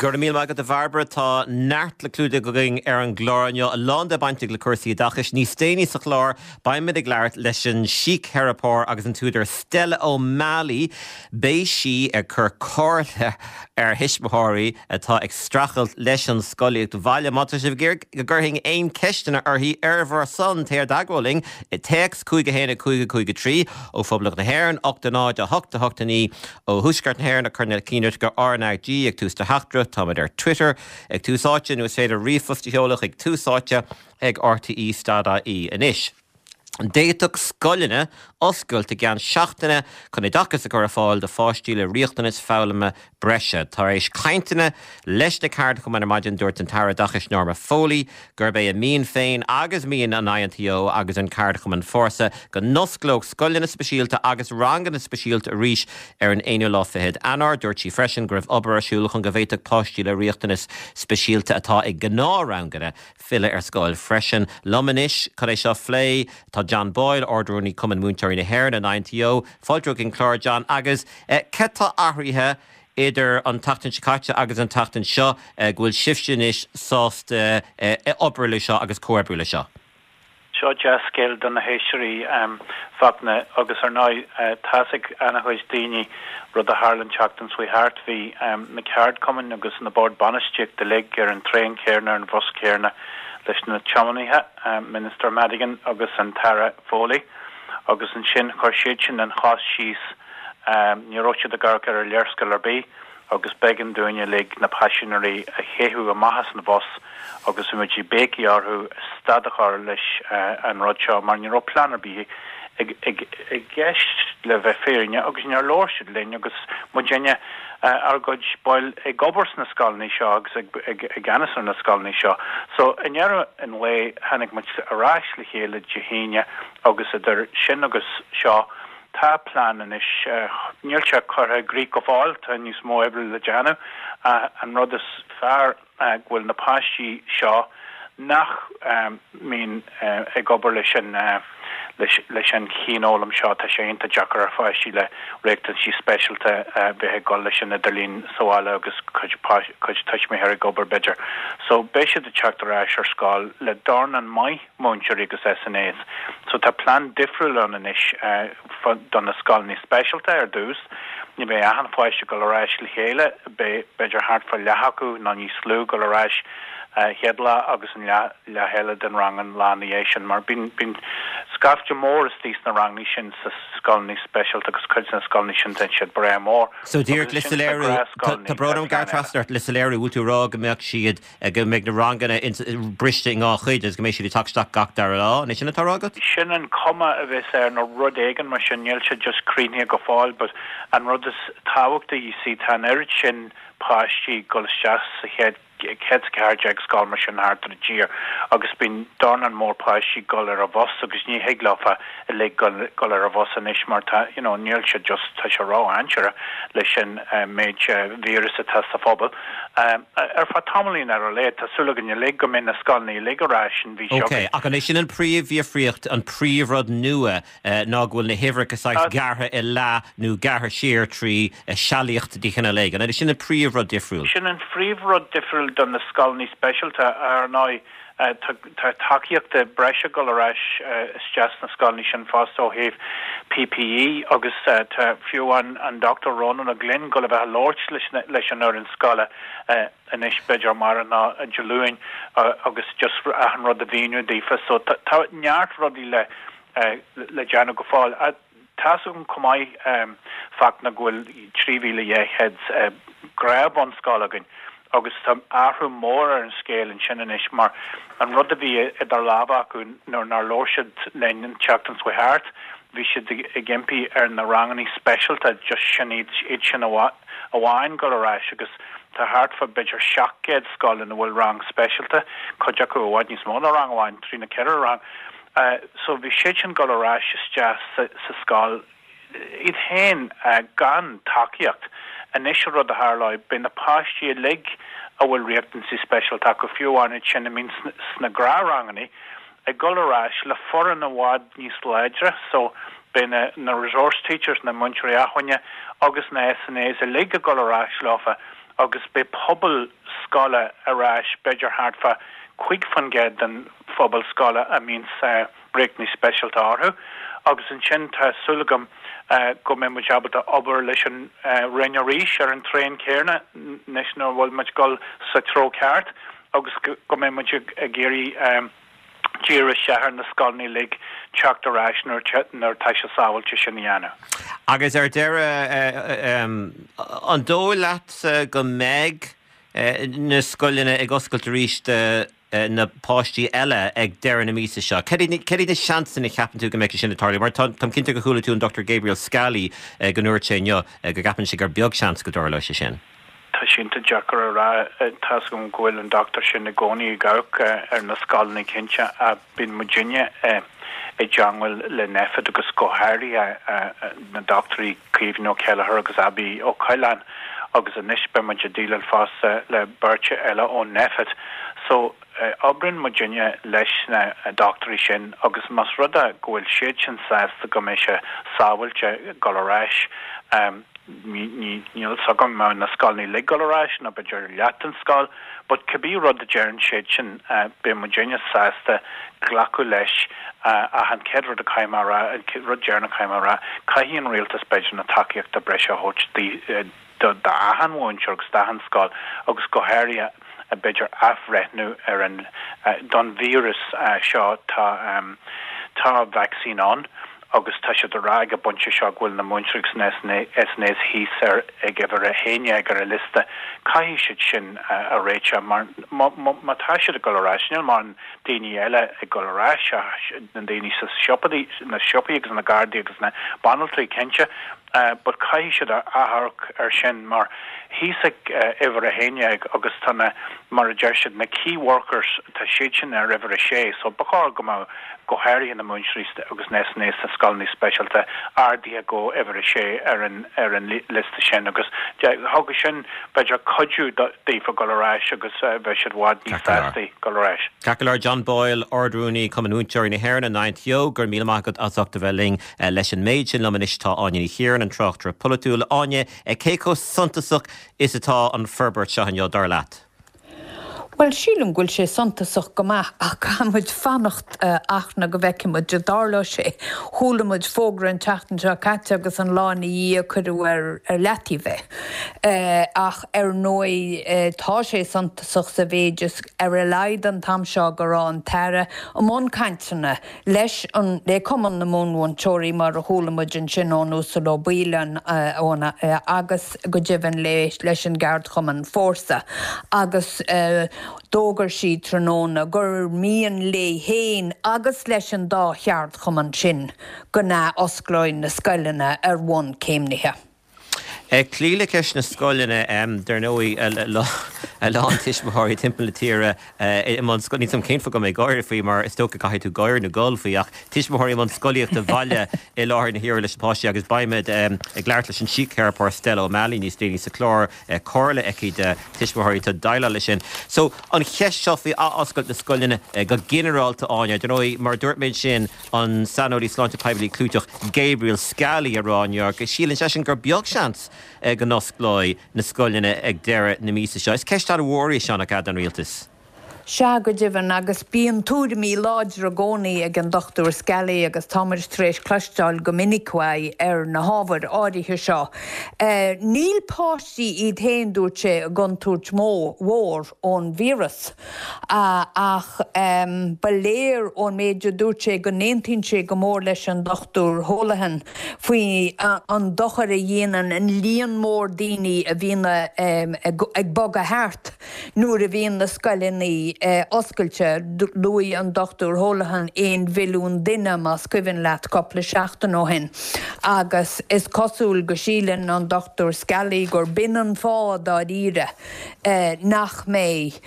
Go raibh míle maith agat a Bhairbre. Tá neart le clúdach againn ar an gclár inniu, a lán de bainteach le cúrsaí oideachais. Níos déanaí sa chlár, beimid ag labhairt leis an síctheiripeoir agus an t-údar Stella O'Malley. Beidh sí ag cur comhairle ar thuismitheoirí atá ag streachailt leis an scolaíocht bhaile. Má tá sibh ag iarraidh go gcuirfinn aon ceisteanna uirthi ar bhur son, téir i dteagmháil linn, téacs 5 1 5 5 3 ó Phoblacht na hÉireann, 8 0 8 8 9 Ó Thuaisceart na hÉireann, cuir na cinn go RnaG ag tús do theachtaireacht. Táimid ar Twitter ag Tús Áite nó is féidir ríomhphost a sheoladh chuig Tús Áite ag rte stad ie anois. D'fhéadfadh scoileanna oscailt i gceann seachtaine chun oideachas a chur ar fáil do pháistí le riachtanais foghlama breise. Tar éis cainteanna leis na ceardchumainn ar maidin, dúirt an tAire Oideachais Norma Foley gurb é a mian féin agus mian an INTO agus an ceardchumann Fórsa go n-osclódh scoileanna speisialta agus ranganna speisialta arís ar an aonú lá fichead Eanáir. Dúirt sí freisin go raibh obair ar siúl chun go bhféadfadh páistí le riachtanais speisialta atá i ngnáthranganna filleadh ar scoil freisin. Liom anois chun é seo a phlé tá John Boyle, Ard-Rúnaí Cumann Múinteoirí na hÉireann, an INTO. Fáilte chuig an chlár, John, agus cad tá athraithe idir an tseachtain seo caite agus an tseachtain seo go bhfuil sibhse anois sásta obair le seo agus comhoibriú le seo? Seo dea-scéal do na héisteoirí, Fachtna, agus ar ndóigh tá's ag ana-chuid daoine rud a tharla an tseachtain seo thart. Bhí na ceardchumainn agus na boird bainistíochta uilig ar an traein chéanna, ar an bhus céanna leis na tiománaithe, Minister Madigan agus an tAire Foley, agus ansin chuir siad sin an chos síos. Ní raibh siad ag amharc ar an léarscáil ar bith agus b'éigean dúinn uilig na paisinéirí a théadh amach as an bhus agus bhí muid ag béicigh orthu stad a chur leis an rud seo mar ní raibh plean ar bith i gceist le bheith fírinneach agus níor labhair siad linn agus muidinne ár gcuid baill ag obair sna scoileanna seo agus i gceannas ar na scoileanna seo. So i ndeireadh an lae tháinig muid ar ais le chéile Dé hAoine agus idir sin agus seo Tá plean anois. Níl sé curtha i gcrích go fóill, tá níos mó oibre le déanamh ach an rud is fearr go bhfuil na páistí seo nach mbíonn ag obair leis an leis an chianfhoghlaim seo, tá sé iontach deacair ar pháistí le riachtanaisí speisialta bheith ag dul leis an idirlíon sa bhaile agus cuid cuid tuismitheoirí ag obair b'fhéidir. So beidh siad ag teacht ar ais ar scoil le dornán maith múinteoirí agus SNAs. So tá plean difriúil ann anois do na scoileanna speisialta ar dtús. Ní bheidh achan pháiste ag dul ar ais le chéile, beidh b'fhéidir thart fá leath acu nó níos lú ag dul ar ais chéad lá agus an leath leath eile den rang an lá ina dhiaidh sin mar bíonn bíonn scaifte mór istigh sna ranganna sin sa scoileanna speisialta agus cuid de na scoileanna sin tá siad breá mór. So díreach le soiléiriú, tá brón orm gearradh trasna ort, le soiléiriú, bhfuil tú ag rá go mbeadh siad go mbeidh na ranganna briste i ndhá chuid agus go mbeidh siad ag teacht isteach gach dara lá. An é sin atá á rá agat? Sin an cuma a bheas air nó rud éigin mar sin. Níl sé just críochnaithe go fóill but an rud is tábhachtaí, you see, tá an oiread sin páistí ag dul isteach sa chéad 114 scoil mar sin thart ar an tír agus bíonn dornán mór páistí ag dul ar an bhus agus ní thig leofa uilig dul ar an bhus anois mar tá, you know, níl sé just, tá sé ró-dhainséarach leis an méid víreas atá sa phobal. Ar feadh tamaillín ar a laghad, tá súil againn uilig go mbeidh na scoileanna uilig ar ais an mhí seo Ok, ach an é sin an príomhdhifríocht, an príomhrud nua ná go bhfuil na huimhreacha saghas gearrtha i leath nó gearrtha siar trí sealaíocht de chineál éigin? An é sin an príomhrud difriúil? Sin an phríomhrud difriúil do na scoileanna speisialta, ar ndóigh. Tá tacaíocht breise ag dul ar ais isteach sna scoileanna sin fosta ó thaobh PPE agus tá fiú amháin an Dr Rónán Ó Glinn ag dul a bheith ag labhairt leis an fhoireann scoile anois b'fhéidir amárach nó Dé Luain agus just achan rud a mhíniú daofa. So tá neart rudaí le le déanamh go fóill. Tá's agam chomh maith, Fachtna, go bhfuil 3,200 gnáth-bhunscoil againn agus tá athrú mór ar an scéal ansin anois mar an rud a bhí idir lámha acu nuair nár labhair siad linn an tseachtain seo thart, bhí siad ag impí ar na ranganna speisialta just sin iad, iad sin amháin dul ar ais agus tá thart fá b'fhéidir 700 scoil ina bhfuil rang speisialta, cuid acu i bhfad níos mó ná rang amháin, trí nó ceithre rang. So bhí siad sin dul ar ais isteach sa scoil iad féin gan tacaíocht. Anois an rud a tharlóidh, beidh na páistí uilig a bhfuil riachtanaisí speisialta acu, fiú amháin iad sin a mbíonn sna gnáthranganna, ag dul ar ais le foireann i bhfad níos láidre. So beidh na na resource teachers, na múinteoirí acmhainne agus na SNAs uilig ag dul ar ais leofa. agus beidh pobal scoile ar ais, b'fhéidir thart fá 5% den phobal scoile a mbíonns riachtanais speisialta orthu agus ansin tá súil agam go mbeidh muid ábalta obair leis an Roinn arís ar an traein céanna anois nuair a bhfuil muid ag dul sa treo ceart agus go mbeidh muid ag iarraidh díriú isteach ar na scoileanna uilig teacht ar ais nuair atá sé sábháilte sin a dhéanamh. Agus ar deireadh, an dóigh leatsa go mbeidh na scoileanna ag oscailt arís do na páistí eile ag deireadh na míosa seo? Cad iad na seansanna a cheapann tú go mbeidh sé sin ag tarlú? Mar táim cinnte gur chuala tú an Dr Gabriel Scally go ndúirt sé inniu go gceapann sé gur beag seans go dtarlóidh sé sin. Tá sé iontach deacair a rá. Tá's agam go bhfuil an dochtúir sin i gcónaí ag amharc ar na scoileanna cinnte ach bíonn muidinne i dteangmháil le Nphet agus go háirithe na dochtúirí Caoimhín Ó Céilleachair agus Abbie Ó Coileáin agus anois beidh muid ag déileáil fosta le beirt eile ó Nphet. So oibríonn muidinne leis na dochtúirí sin agus más rud é go bhfuil siad sin sásta go mbeidh sé sábháilte dul ar ais, Níl fhios agam an mbeidh na scoileanna uilig ag dul ar ais nó b'fhéidir leath den scoil but cibé rud a deireann siad sin beidh muidinne sásta glacadh leis ach an chéad rud a caithfidh mé a rá, an rud deireanach a caithfidh mé a rá, caithfidh an rialtas b'fhéidir na tacaíochta breise a thabhairt d'achan mhúinteoir agus d'achan scoil agus go háirithe b'fhéidir athbhreithniú ar an don víreas seo tá tá vacsaín ann agus tá siad ag rá ag an bpointe seo go bhfuil na múinteoirí agus na SNAs thíos ar ag uimhir 11 ar an liosta. Caithfidh siad sin a réiteach mar má tá siad ag dul ar ais, níl mórán daoine eile ag dul ar ais ach na daoine sa siopaí, na siopaí agus na gardaí agus na banaltraí cinnte but caithfidh siad amharc ar sin mar thíos ag uimhir 11 agus tá na, mar a deir siad, na key workers, tá siad sin ar uimhir 6 so ba chóir go mbeadh go háirithe na múinteoirí agus na SNAs sna scoileanna speisialta, ardaithe go uimhir 6 ar an ar an liosta sin agus thugadh sin b'fhéidir cuidiú daofa dul ar ais agus bheadh siad i bhfad níos sástaí dul ar ais. Ceart go leor, John Boyle, Ard-Rúnaí Cumann Múinteoirí na hÉireann, an INTO, go raibh míle maith agat as ucht a bheith linn leis an méid sin. Liom anois tá Áine Ní Chiaráin, an tráchtaire polaitiúil. Áine, cé chomh suntasach is atá an forbairt seo inniu, dar leat? Bhuel, sílim go bhfuil sé suntasach go maith ach caithfidh muid fanacht a go bhfeicfidh muid an dtarlóidh sé. Chuala muid fógra an tseachtain seo caite agus an lá ina dhiaidh cuireadh ar leataobh é. Ach ar ndóigh tá sé suntasach sa mhéid is ar a laghad an t-am seo go raibh an tAire i mbun cainteanna leis an, le Cumann na Mionmhúinteoirí, mar a chuala muid ansin ón Uasal Ó Baoill, ón, agus go deimhin leis an gceardchumann Fórsa, agus d'fhógair sí tráthnóna gur mian léi féin agus leis an dá cheardchumann sin go n-athosclóidh na scoileanna ar bhonn céimnithe. Ag cloí le ceist na scoileanna, dar ndóigh, a lán tuismitheoirí timpeall na tíre i mbun, níl 's agam cén fáth go bhfuil mé ag gáire faoi mar is dócha caithfidh tú gáire nó gol faoi, ach tuismitheoirí i mbun scolaíochta bhaile i láthair na huaire leis na páistí agus beimid ag labhairt leis an síctheiripeoir Stella O'Malley níos déanaí sa chlár, comhairle aici do tuismitheoirí atá ag déileáil leis sin. So, an cheist seo faoi athoscailt na scoileanna go ginearálta, Áine, dar ndóigh, mar a dúirt mé ansin, an saineolaí sláinte poiblí clúiteach Gabriel Scally ag rá inniu go síleann seisean gur beag seans go n-osclóidh na scoileanna ag deireadh na míosa seo. Is ceist an-mhór í seo, nach ea, don rialtas? Sea, go deimhin, agus bíonn tuairimí láidre i gcónaí ag an Dr Scally agus tá muid tar éis cloisteáil go minic uaidh ar na hábhair áirithe seo. Níl páistí iad féin, dúirt sé, i gcontúirt mhór ón víreas. Ach ba léir ón méid a dúirt sé go n-aontaíonn sé go mór leis an Dr Holohan faoi an dochar a dhéanann an líon mór daoine a bhíonn ag bogadh thart nuair a bhíonn na scoileanna oscailte. Luaigh an Dr Holohan 1 mhilliún duine, más cuimhin leat, cúpla seachtain ó shin agus is cosúil go síleann an Dr Scally gur b'in an fáth dáiríre nach mbeidh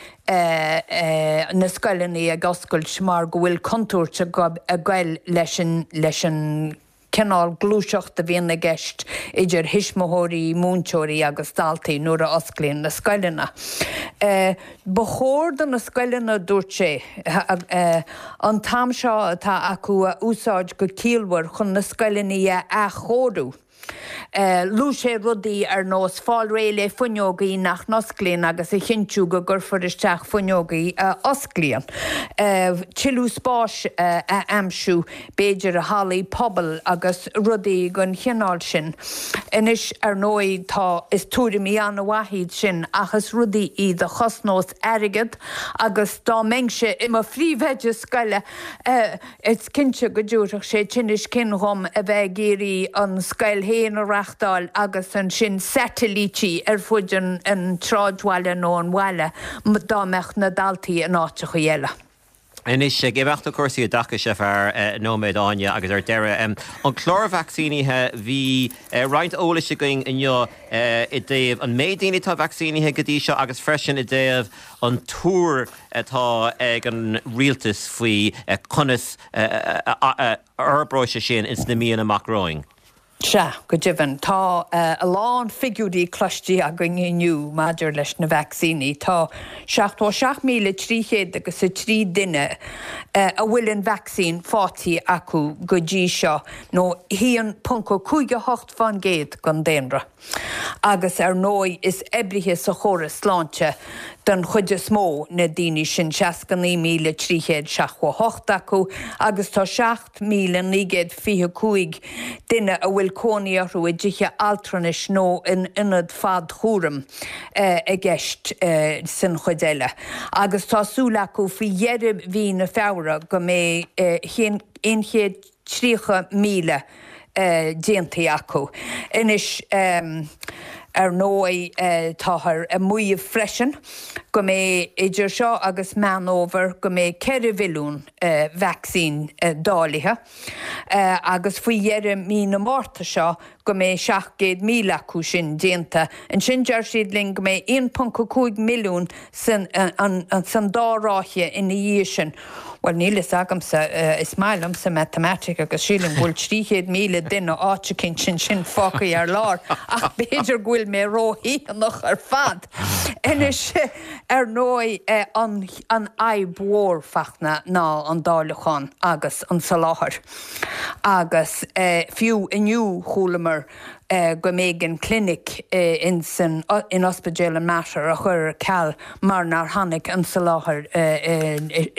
na scoileanna ag oscailt mar go bhfuil contúirt ag goil leis an leis an cineál gluaiseacht a bhíonn i gceist idir thuismitheoirí, múinteoirí agus daltaí nuair a osclaíonn na scoileanna. Ba chóir do na scoileanna, dúirt sé, an t-am seo atá acu a úsáid go ciallmhar chun na scoileanna a athchóiriú. Luaigh sé rudaí ar nós fáil réidh le fuinneogaí nach n-osclaíonn agus a chinntiú go gcuirfear isteach fuinneogaí a osclaíonn, tuilleadh spáis a aimsiú, b'fhéidir i hallaí pobail agus rudaí den chineál sin. Anois, ar ndóigh, tá, is tuairimí an-mhaith iad sin ach is rudaí iad a chosnós airgead agus dá mbeinnse i mo phríomhoide scoile, Is cinnte go dtabharfadh sé tinneas cinn dhom a bheith ag iarraidh an scoil féin a reachtáil agus ansin satailítí ar fud an tsráidbhaile nó an bhaile dá mbeadh na daltaí in áiteachaí eile. Anois, ag imeacht ó chúrsaí oideachais ar feadh nóiméad, Áine, agus ar deireadh, an clár vacsaínithe, bhí roinnt eolais againn inniu i dtaobh an méid daoine atá vacsaínithe go dtí seo agus freisin i dtaobh an tuar atá ag an rialtas faoi conas a fhorbróidh sé sin ins na míonna amach romhainn. Sea, go deimhin. Tá a lán figiúirí cloiste againn inniu maidir leis na vacsaíní. Tá 77,300 agus 3 duine a bhfuil an vacsaín faighte acu go dtí seo, nó 1.58% den daonra. Agus ar ndóigh is oibrithe sa chóras sláinte den chuid is mó na daoine sin, 69,378 acu, agus tá 7,925 duine a bhfuil cónaí orthu i dtithe altranais nó in ionaid fadchúraim i gceist san chuid eile. Agus tá súil acu faoi dheireadh mhí na Feabhra go mbeidh 100. 30,000 déanta acu. Anois, ar ndóigh, táthar ag maíomh freisin go mbeidh idir seo agus Meán Fhómhair go mbeidh 4 mhilliún vacsaín dáilithe agus faoi dheireadh mí na Márta seo go mbeidh 700,000 acu sin déanta. Ansin deir siad linn go mbeidh 1.5 milliún san san dá ráithe ina dhiaidh sin. Bhuel, níl fhios agamsa, is maith liomsa matamaitic agus sílim go bhfuil 300,000 duine áit eicínt ansin fágtha ar lár, ach b'fhéidir go bhfuil mé ródhéanach ar fad. Anois, ar ndóigh, an an fhadhb mhór, Fachtna, ná an dáileachán agus an soláthar. Agus fiú inniu chualamar go mb'éigean clinic in san in Ospidéal an Mater a chur ar ceal mar nár tháinig an soláthar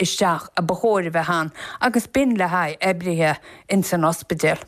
isteach a ba chóir a bheith ann agus b'in le haghaidh oibrithe in san ospidéal.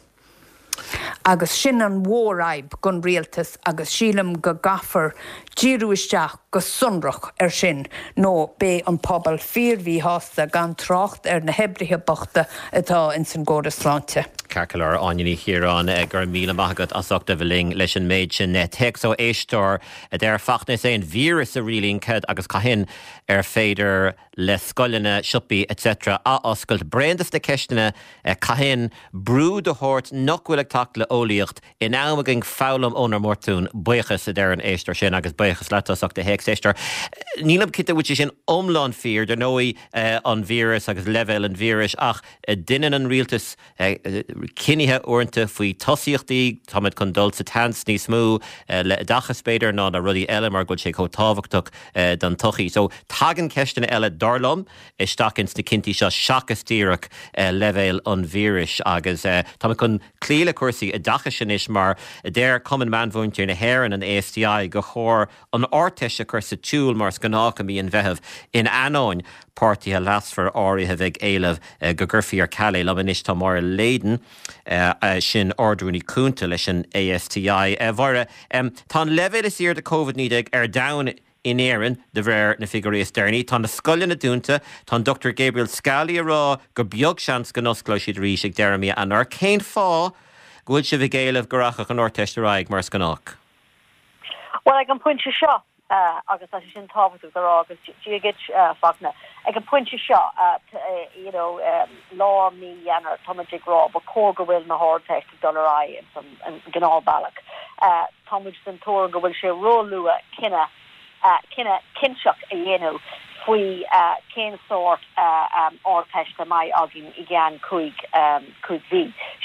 Agus sin an mhórfhadhb don rialtas agus sílim go gcaithfear díriú isteach go sonrach air sin nó beidh an pobal fíor-mhíshásta, gan trácht ar na hoibrithe bochta atá ins an gcóras sláinte. Ceart go leor, Áine Ní Chiaráin, go raibh míle maith agat as ucht a bheith linn leis an méid sin. Téacs ó éisteoir a deir, Fachtna, is é an víreas a rialaíonn cad agus cathain ar féidir le scoileanna, siopaí etc. Athoscailt. Bréan des na ceisteanna cathain, brú de shórt nach bhfuil ag teacht le eolaíocht, In am againn foghlaim ónár mbotúin. Buíochas, a deir an éisteoir sin, agus buíochas leat as ucht do théacs, éisteoir. Nílim cinnte an bhfuil sé sin iomlán fíor, dar ndóigh, an víreas agus leibhéal an víris, ach deineann an rialtas cinnithe uaireanta faoi tosaíochtaí, táimid chun dul sa tseans níos mó le oideachas, b'fhéidir, ná na rudaí eile mar go bhfuil sé chomh tábhachtach don tsochaí. So, tagann ceisteanna eile, dar liom, isteach ins na cinntí seo seachas díreach leibhéal an víris agus táimid chun cloí le cúrsaí oideachais anois mar deir Cumann Meánmhúinteoirí na hÉireann, an ASTI, gur chóir an Ardteist a chur sa tsiúl mar is gnách i mí an Mheithimh in ainneoin páirtithe leasmhara áirithe bheith ag éileamh go gcuirfí ar ceal é. Liom anois tá Máire Leyden, sin Ard-Rúnaí Cúnta leis an ASTI. A Mháire, tá an leibhéal is airde Covid-19 ar domhan in Éirinn, de réir na figiúirí is deireanaí. Tá na scoileanna dúnta. Tá an Dr Gabriel Scally ag rá gur beag seans go n-osclóidh siad arís ag deireadh mí Eanáir. Cén fáth go bhfuil sibh ag éileamh go rachadh an Ardteist ar aghaidh mar is gnách? Bhuel, ag an bpointe seo, agus tá sé sin tábhachtach a rá, agus Dia duit, Fachtna, ag an bpointe seo, you know, lár mí Eanáir, tá muid ag rá, ba chóir go bhfuil na hArdteist ag dul ar aghaidh ins an gnáthbhealach. Tá muid den tuairim go bhfuil sé róluath cinneadh cinneadh cinnteach a dhéanamh faoi cén sórt Ardteist a mbeidh againn i gceann 5 mhí.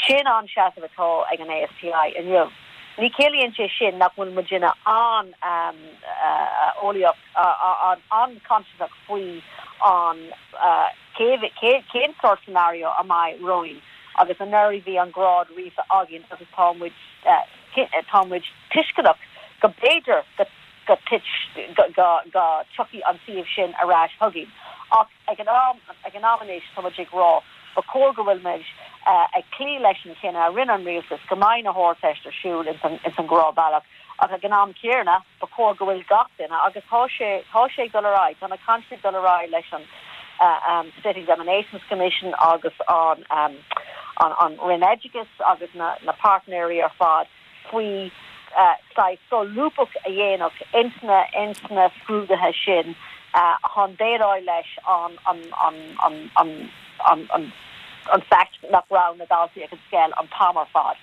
Sin an seasamh atá ag an ASTI inniu. Ní chiallaíonn sé sin nach bhfuil muidinne an-eolaíoch, an-chuntasach faoi an cén sórt scenario a mbeidh romhainn agus anuraidh bhí an grád ríofa againn agus tá muid. tá muid tuisceanach go b'fhéidir go go go go dtiocfaidh an suíomh sin ar ais chugainn ach ag an am ag an am anois tá muid ag rá ba chóir go bhfuil muid ag cloí leis an chinneadh a rinne an rialtas go mbeidh na hArdteist ar siúl ins an ins an ghnáthbhealach ach ag an am céanna ba chóir go bhfuil gach duine agus tá sé tá sé ag dul ar aghaidh tá na cainteanna ag dul ar aghaidh leis an State Examinations Commission agus an an an Roinn Oideachais agus na na páirtnéirí ar fad faoi saghas solúbthacht a dhéanamh ins na ins na scrúduithe sin chun déileáil leis an an an an an an an an fact nach raibh na daltaí ag an scoil an t-am ar fad.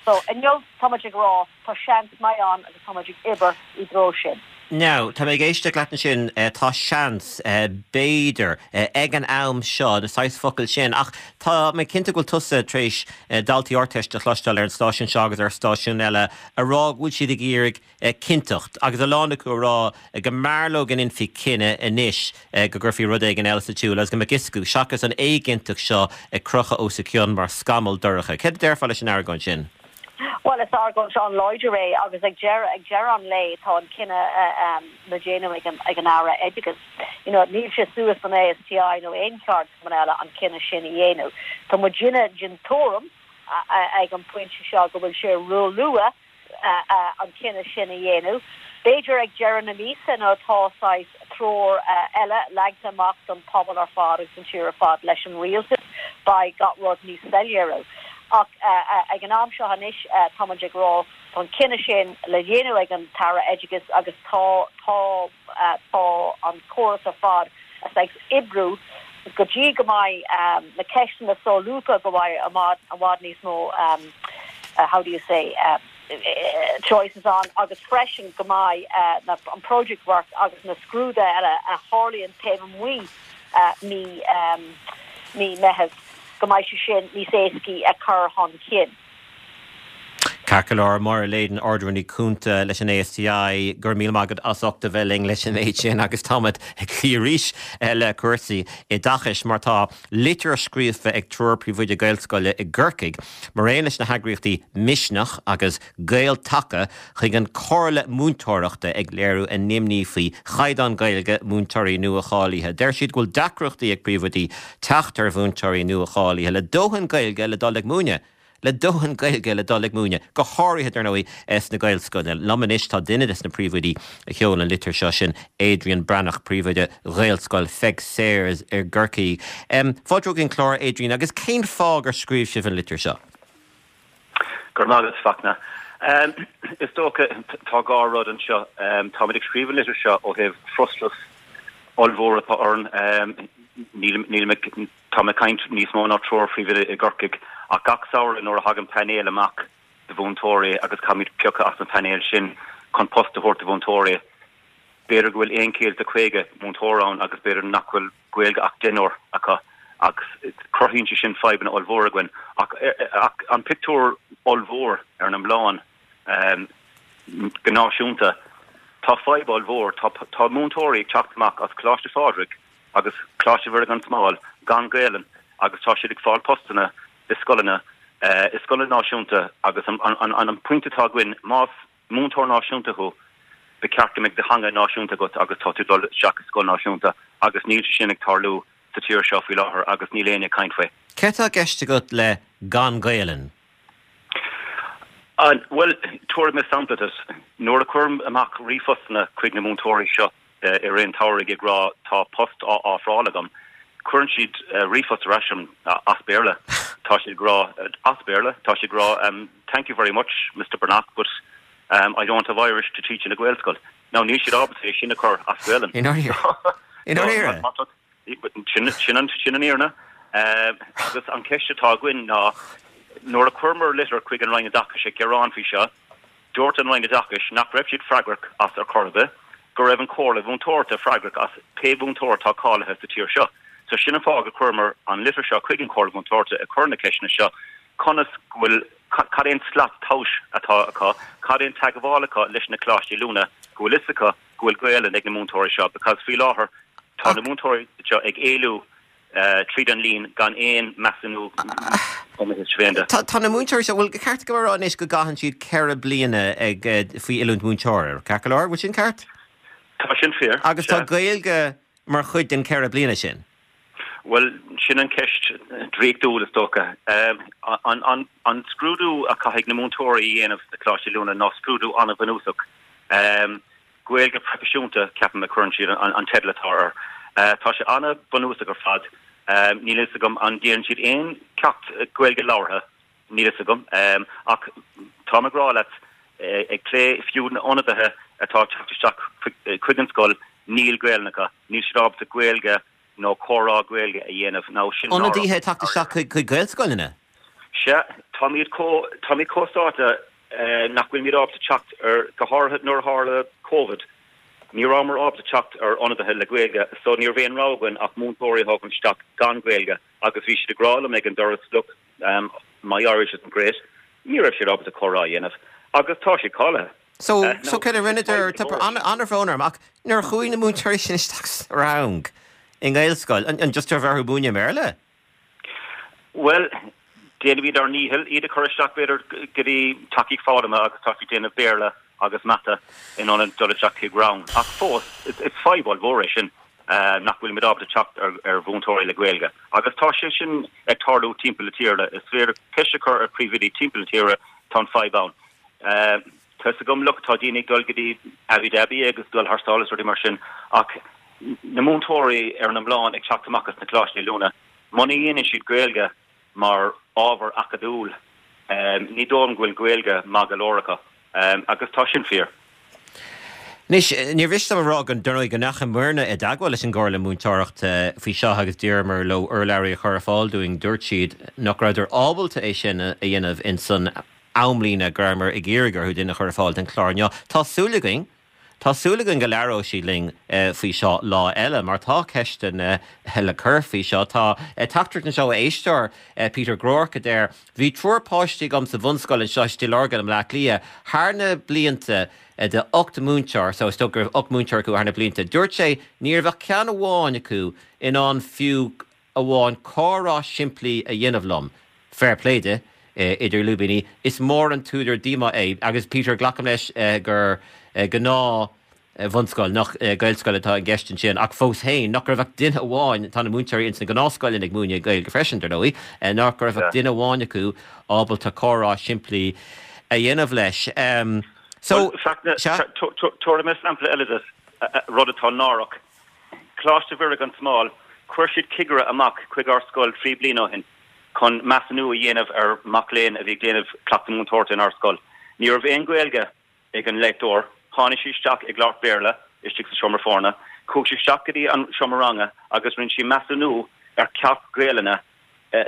So inniu tá muid ag rá tá seans maith ann agus tá muid ag obair i dtreo sin. Now, tá mé ag éisteacht leat ansin, tá seans, b'fhéidir, ag an am seo, na saghas focail sin, ach tá mé cinnte go bhfuil tusa tar éis daltaí Ardteiste a chloisteáil ar an stáisiún seo agus ar stáisiúin eile a rá go bhfuil siad ag iarraidh cinnteacht agus a lán acu a rá go mb'fhearr leo go ndéanfaí cinneadh anois go gcuirfí rud éigin eile sa tsiúl agus go mbeadh fhios acu, seachas an éiginnteacht seo ag crochadh os a gcionn mar scamall dorcha. Céard a déarfá leis an argóint sin? Bhuel, is argóint an-láidir é agus ag deireadh, ag deireadh an lae tá an cinneadh le déanamh ag an, ag an Aire Oideachais. You know, níl sé suas don ASTI nó aon cheardchumann eile an cinneadh sin a dhéanamh. Tá muidinne den tuairim ag an bpointe seo go bhfuil sé róluath an cinneadh sin a dhéanamh. B'fhéidir ag deireadh na míosa nuair atá saghas treoir eile leagtha amach don phobal ar fad agus don tír ar fad leis an rialtas, beidh gach rud níos soiléire. Ach ag an am seo anois tá muid ag rá tá an cinneadh sin le déanamh ag an tAire Oideachais agus tá tá tá an córas ar fad ag oibriú go dtí go mbeidh na ceisteanna solúbtha go mbeidh i bhfad níos mó how do you say choices ann agus freisin go mbeidh an project work agus na scrúduithe eile a tharlaíonn taobh amuigh mí mí Meitheamh go mbeidh sé sin níos éascaí a chur chun cinn. Ceart go leor, Máire Leyden, Ard-Rúnaí Cúnta leis an ASTI, go raibh míle maith agat as ucht a bheith linn leis an méid sin agus táimid ag cloí arís le cúrsaí oideachais mar tá litir scríofa ag triúr príomhoide Gaelscoile i gCorcaigh mar aon leis na heagraíochtaí Misneach agus Gael Taca chuig an Chomhairle Múinteoireachta ag léiriú a n-imní faoi chaighdeán Gaeilge múinteoirí nua-cháilithe. Deir siad go bhfuil deacrachtaí ag príomhoidí teacht ar mhúinteoirí nua-cháilithe le dóthain Gaeilge le dul ag múineadh. Le dóthain Gaeilge le dul ag múineadh, go háirithe, dar ndóigh, sna Gaelscoileanna. Liom anois tá duine des na príomhoidí a sheol an litir seo, sin Adrian Breathnach, príomhoide Ghaelscoil Pheig Sayers i gCorcaigh. Fáilte chuig an chlár, Adrian, agus cén fáth gur scríobh sibh an litir seo? Go raibh maith agat, Fachtna. Is dócha, tá dhá rud anseo. Táimid ag scríobh an litir seo ó thaobh frustrachas ollmhór atá orainn. Nílim ag, táim ag caint níos mó ná triúr phríomhoide i gCorcaigh, ach gach samhradh nuair a thagann painéal amach de mhúinteoirí agus caithfimid piocadh as an phainéal sin chun post a thabhairt do mhúinteoirí, b'fhéidir go bhfuil 150 múinteoir ann agus b'fhéidir nach bhfuil Gaeilge ach deichniúr acu agus cruthaíonn sé sin fadhbanna ollmhóra againn. Ach ach an pictiúr ollmhór ar an iomlán go náisiúnta, tá fadhb ollmhór. Tá tá múinteoirí ag teacht amach as Coláiste Phádraig agus Coláiste Mhuire gan Smál gan Gaelainn agus tá siad ag fáil postanna i scoileanna i scoileanna náisiúnta agus an an an pointe atá againn más múinteoir náisiúnta thú, ba cheart go mbeadh do theanga náisiúnta agat agus tá tú ag dul isteach i scoil náisiúnta agus níl sé sin ag tarlú sa tír seo faoi láthair agus níl éinne ag caint faoi. Céard atá i gceist agat le gan Gaelainn? Bhuel, tabharfaidh mé sampla duit. Nuair a chuirim amach ríomhphostanna chuig na múinteoirí seo, i rith an tsamhraidh ag rá tá post á ofráil agam, cuireann siad ríomhphost ar ais chugam as Béarla. Tá siad ag rá, as Béarla, tá siad ag rá thank you very much Mister Breathnach but I don't have Irish to teach in a Gaelscoil. Now níl siad ábalta é sin a chur as Gaelainn. I ndáiríre? I ndáiríre? Sin an fhírinne. Agus an cheist atá againn ná nuair a chuireamar litir chuig an Roinn Oideachais ag gearán faoi seo, Dúirt an Roinn Oideachais nach raibh siad freagrach as ar chor ar bith, go raibh an Chomhairle Mhúinteoireachta freagrach as pé mhúinteoir atá cáilithe sa tír seo. So sin an fáth gur chuireamar an litir seo chuig an Chomhairle Mhúinteoireachta ag cur na ceisteanna seo, conas go bhfuil, cad é an slat tomhais atá acu, cad é an teagmháil acu leis na coláistí oiliúna, go bhfuil fhios acu go bhfuil Gaelainn ag na múinteoirí seo because faoi láthair tá na múinteoirí seo ag éalú. tríd an líon gan aon measúnú ó mo thaobh féin de. Tá na múinteoirí seo, bhuel, ceart go rá anois go gcaitheann siad 4 bliana ag faoi oiliúint múinteora, ceart go leor, bhfuil sin ceart? Tá sin fíor, Agus tá Gaeilge mar chuid den 4 bliana sin. Bhuel, sin an ceist draíochtúil is dócha. An scrúdú a chaithfidh na múinteoirí a dhéanamh sna coláistí oiliúna ná scrúdú an-bhunúsach. Gaeilge proifisiúnta, ceapaim, a chuireann siad an teideal atá air. Tá sé an-bhunúsach ar fad. Níl a fhios agam an ndéanann siad aon ceacht Gaeilge labhartha, níl a fhios agam. Ach táim ag rá leat, ag plé fiú na ionadaithe atá ag teacht isteach chuig an scoil, níl Gaelainn acu. Níl siad ábalta Gaeilge nó comhrá Gaeilge a dhéanamh. Now sin náireach. Ionadaithe ag teacht isteach chuig Gaelscoileanna? Sea, táimid chomh, táimid chomh sáite nach bhfuilimid ábalta teacht ar, go háirithe nuair a tharla Covid, ní rabhamar ábalta teacht ar ionadaithe le Gaeilge so ní raibh aon rogha againn ach múinteoirí a thógaint isteach gan Gaeilge agus bhí siad ag rá liom ag an doras look, my Irish isn't great, ní raibh siad ábalta comhrá a dhéanamh agus tá siad cáilithe. So, so céard a rinneadar, tá an-bhrón orm ach nuair a chuaigh na múinteoirí sin isteach sa rang i nGaelscoil, an just raibh orthu múineadh i mBéarla? Bhuel, déanaimid ár ndícheall iad a chur isteach b'fhéidir go dtí tacaíocht foghlama agus tá siad ag déanamh Béarla agus Mata in ionad dul isteach chuig rang. Ach fós, is fadhb ollmhór é sin nach bhfuilimid ábalta teacht ar mhúinteoirí le Gaeilge. Agus tá sé sin ag tarlú timpeall na tíre. Is féidir ceist a chur ar phríomhoidí timpeall na tíre, tá an fadhb ann. Tá fhios agam, look, tá daoine ag dul go dtí Abu Dhabi agus dul thar sáile is rudaí mar sin ach na múinteoirí ar an iomlán ag teacht amach as na coláistí oiliúna, muna dhéanann siad Gaeilge mar ábhar acadúil, ní dóigh liom go bhfuil Gaeilge maith go leor acu agus tá sin fíor. Anois, níor mhiste dom a rá go, dar ndóigh, go ndeachamarna i dteagmháil leis an gComhairle Múinteoireachta faoi seo agus d'iarramar leo urlabhraí a chur ar fáil dúinn. Dúirt siad nach rabhadar ábalta é sin a dhéanamh ins an amlíne go rabhamar ag iarraidh orthu duine a chur ar fáil don chlár inniu. Tá súil againn, tá súil againn go labhróidh siad linn faoi seo lá eile mar tá ceisteanna le cur faoi seo. Tá teachtaireacht anseo ó éisteoir, Peter Groarke, a deir, Bhí triúr páistí agam sa bhunscoil anseo i Stigh Lorgan i mBleá Cliath thar na blianta de 8 múinteoir, so is dócha go raibh 8 múinteoir acu thar na blianta. Dúirt sé, ní raibh ach ceann amháin acu in ann fiú amháin comhrá simplí a dhéanamh liom. Fair play di, idir lúibíní. Is mór an t-údar díomá é. Agus Peter, glacaim leis gur gnáth bhunscoil, nach Gaelscoil atá i gceist ansin, ach fós féin, nach raibh ach duine amháin, tá na múinteoirí ins na gnáthscoileanna ag múineadh Gaeilge freisin, dar ndóigh, nach raibh ach duine amháin acu ábalta comhrá simplí a dhéanamh leis. So, sea. Tabharfaidh mé sampla eile duit, rud atá náireach. Coláiste Mhuire gan Smál, chuir siad cigire amach chuig ár scoil 3 bliana ó shin chun measúnú a dhéanamh ar mac léinn a bhí ag déanamh cleachtadh múinteoireachta inár scoil. Ní raibh aon Ghaeilge ag an léachtóir. Tháinig sí isteach ag labhairt Béarla istigh sa seomra foirne. Chuaigh sí isteach go dtí an seomra ranga agus rinne sí measúnú ar cheacht Gaelainne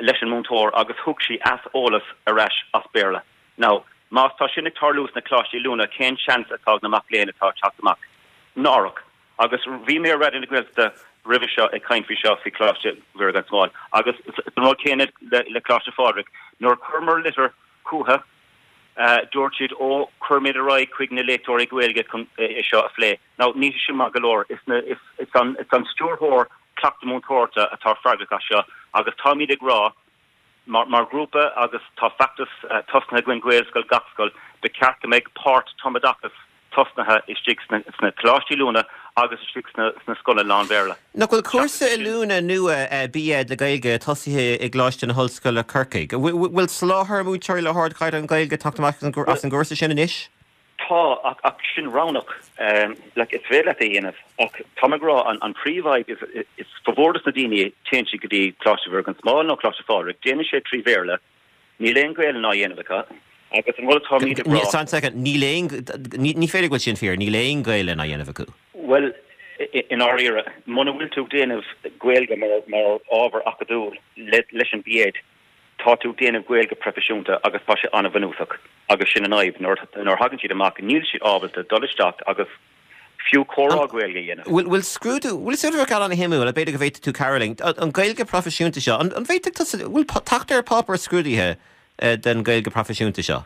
leis an múinteoir agus thug sí aiseolas ar ais as Béarla. Now, más tá sin ag tarlú sna coláistí oiliúna, cén seans atá ag na mac léinn atá ag teacht amach? Náireach. Agus bhí mé ar Raidió na Gaeltachta roimhe seo ag caint faoi seo, faoi Choláiste Mhuire gan Smál. Agus an rud céanna le Coláiste Phádraig. Nuair a chuireamar litir chucu, dúirt siad, ó, cuirfimid ar aghaidh chuig na léachtóirí Gaeilge chun é seo a phlé. Now, níl sé sin maith go leor. Is an stiúrthóir cleachtadh múinteoireachta atá freagrach as seo agus táimid ag rá, Mar ghrúpa, agus tá feachtas tosnaithe againn Gaelscoil gach scoil, ba cheart go mbeadh páirt tumoideachas tosnaithe istigh sna coláistí oiliúna agus istigh sna scoileanna lán-Bhéarla. Nach bhfuil cúrsa oiliúna nua B.Ed le Gaeilge tosaithe i gColáiste na hOllscoile Corcaigh? Bhfuil soláthar múinteoirí le hardchaighdeán Gaeilge ag teacht amach as an gcúrsa sin anois? Tá, ach, ach sin roghnach. Like, is féidir leat é a dhéanamh, ach táim ag rá, an, an príomhfhadhb is, is formhór dos na daoine, téann siad go dtí Coláiste Mhuire gan Smál nó Coláiste Phádraig, déanann siad trí Bhéarla, níl aon Ghaelainn á dhéanamh acu, agus an rud atáimid ag rá. One second, níl aon, ní, ní féidir go bhfuil sin fíor, níl aon Ghaelainn á dhéanamh acu. Bhuel, i ndáiríre, muna bhfuil tú ag déanamh Gaeilge mar, mar ábhar acadúil le, leis an B.Ed, Tá tú ag déanamh Gaeilge proifisiúnta agus tá sé an-bhunúsach agus sin an fhadhb, nuair a thagann siad amach níl siad ábalta dul isteach agus fiú comhrá Gaeilge a dhéanamh. Bhfuil scrúdú, bhfuil sé rud an-shuimiúil, b'fhéidir go bhféadfaidh tú cabhrú linn, an Ghaeilge proifisiúnta seo, an bhféadfadh tusa, bhfuil teacht ar páipéar scrúdaithe den Ghaeilge proifisiúnta seo?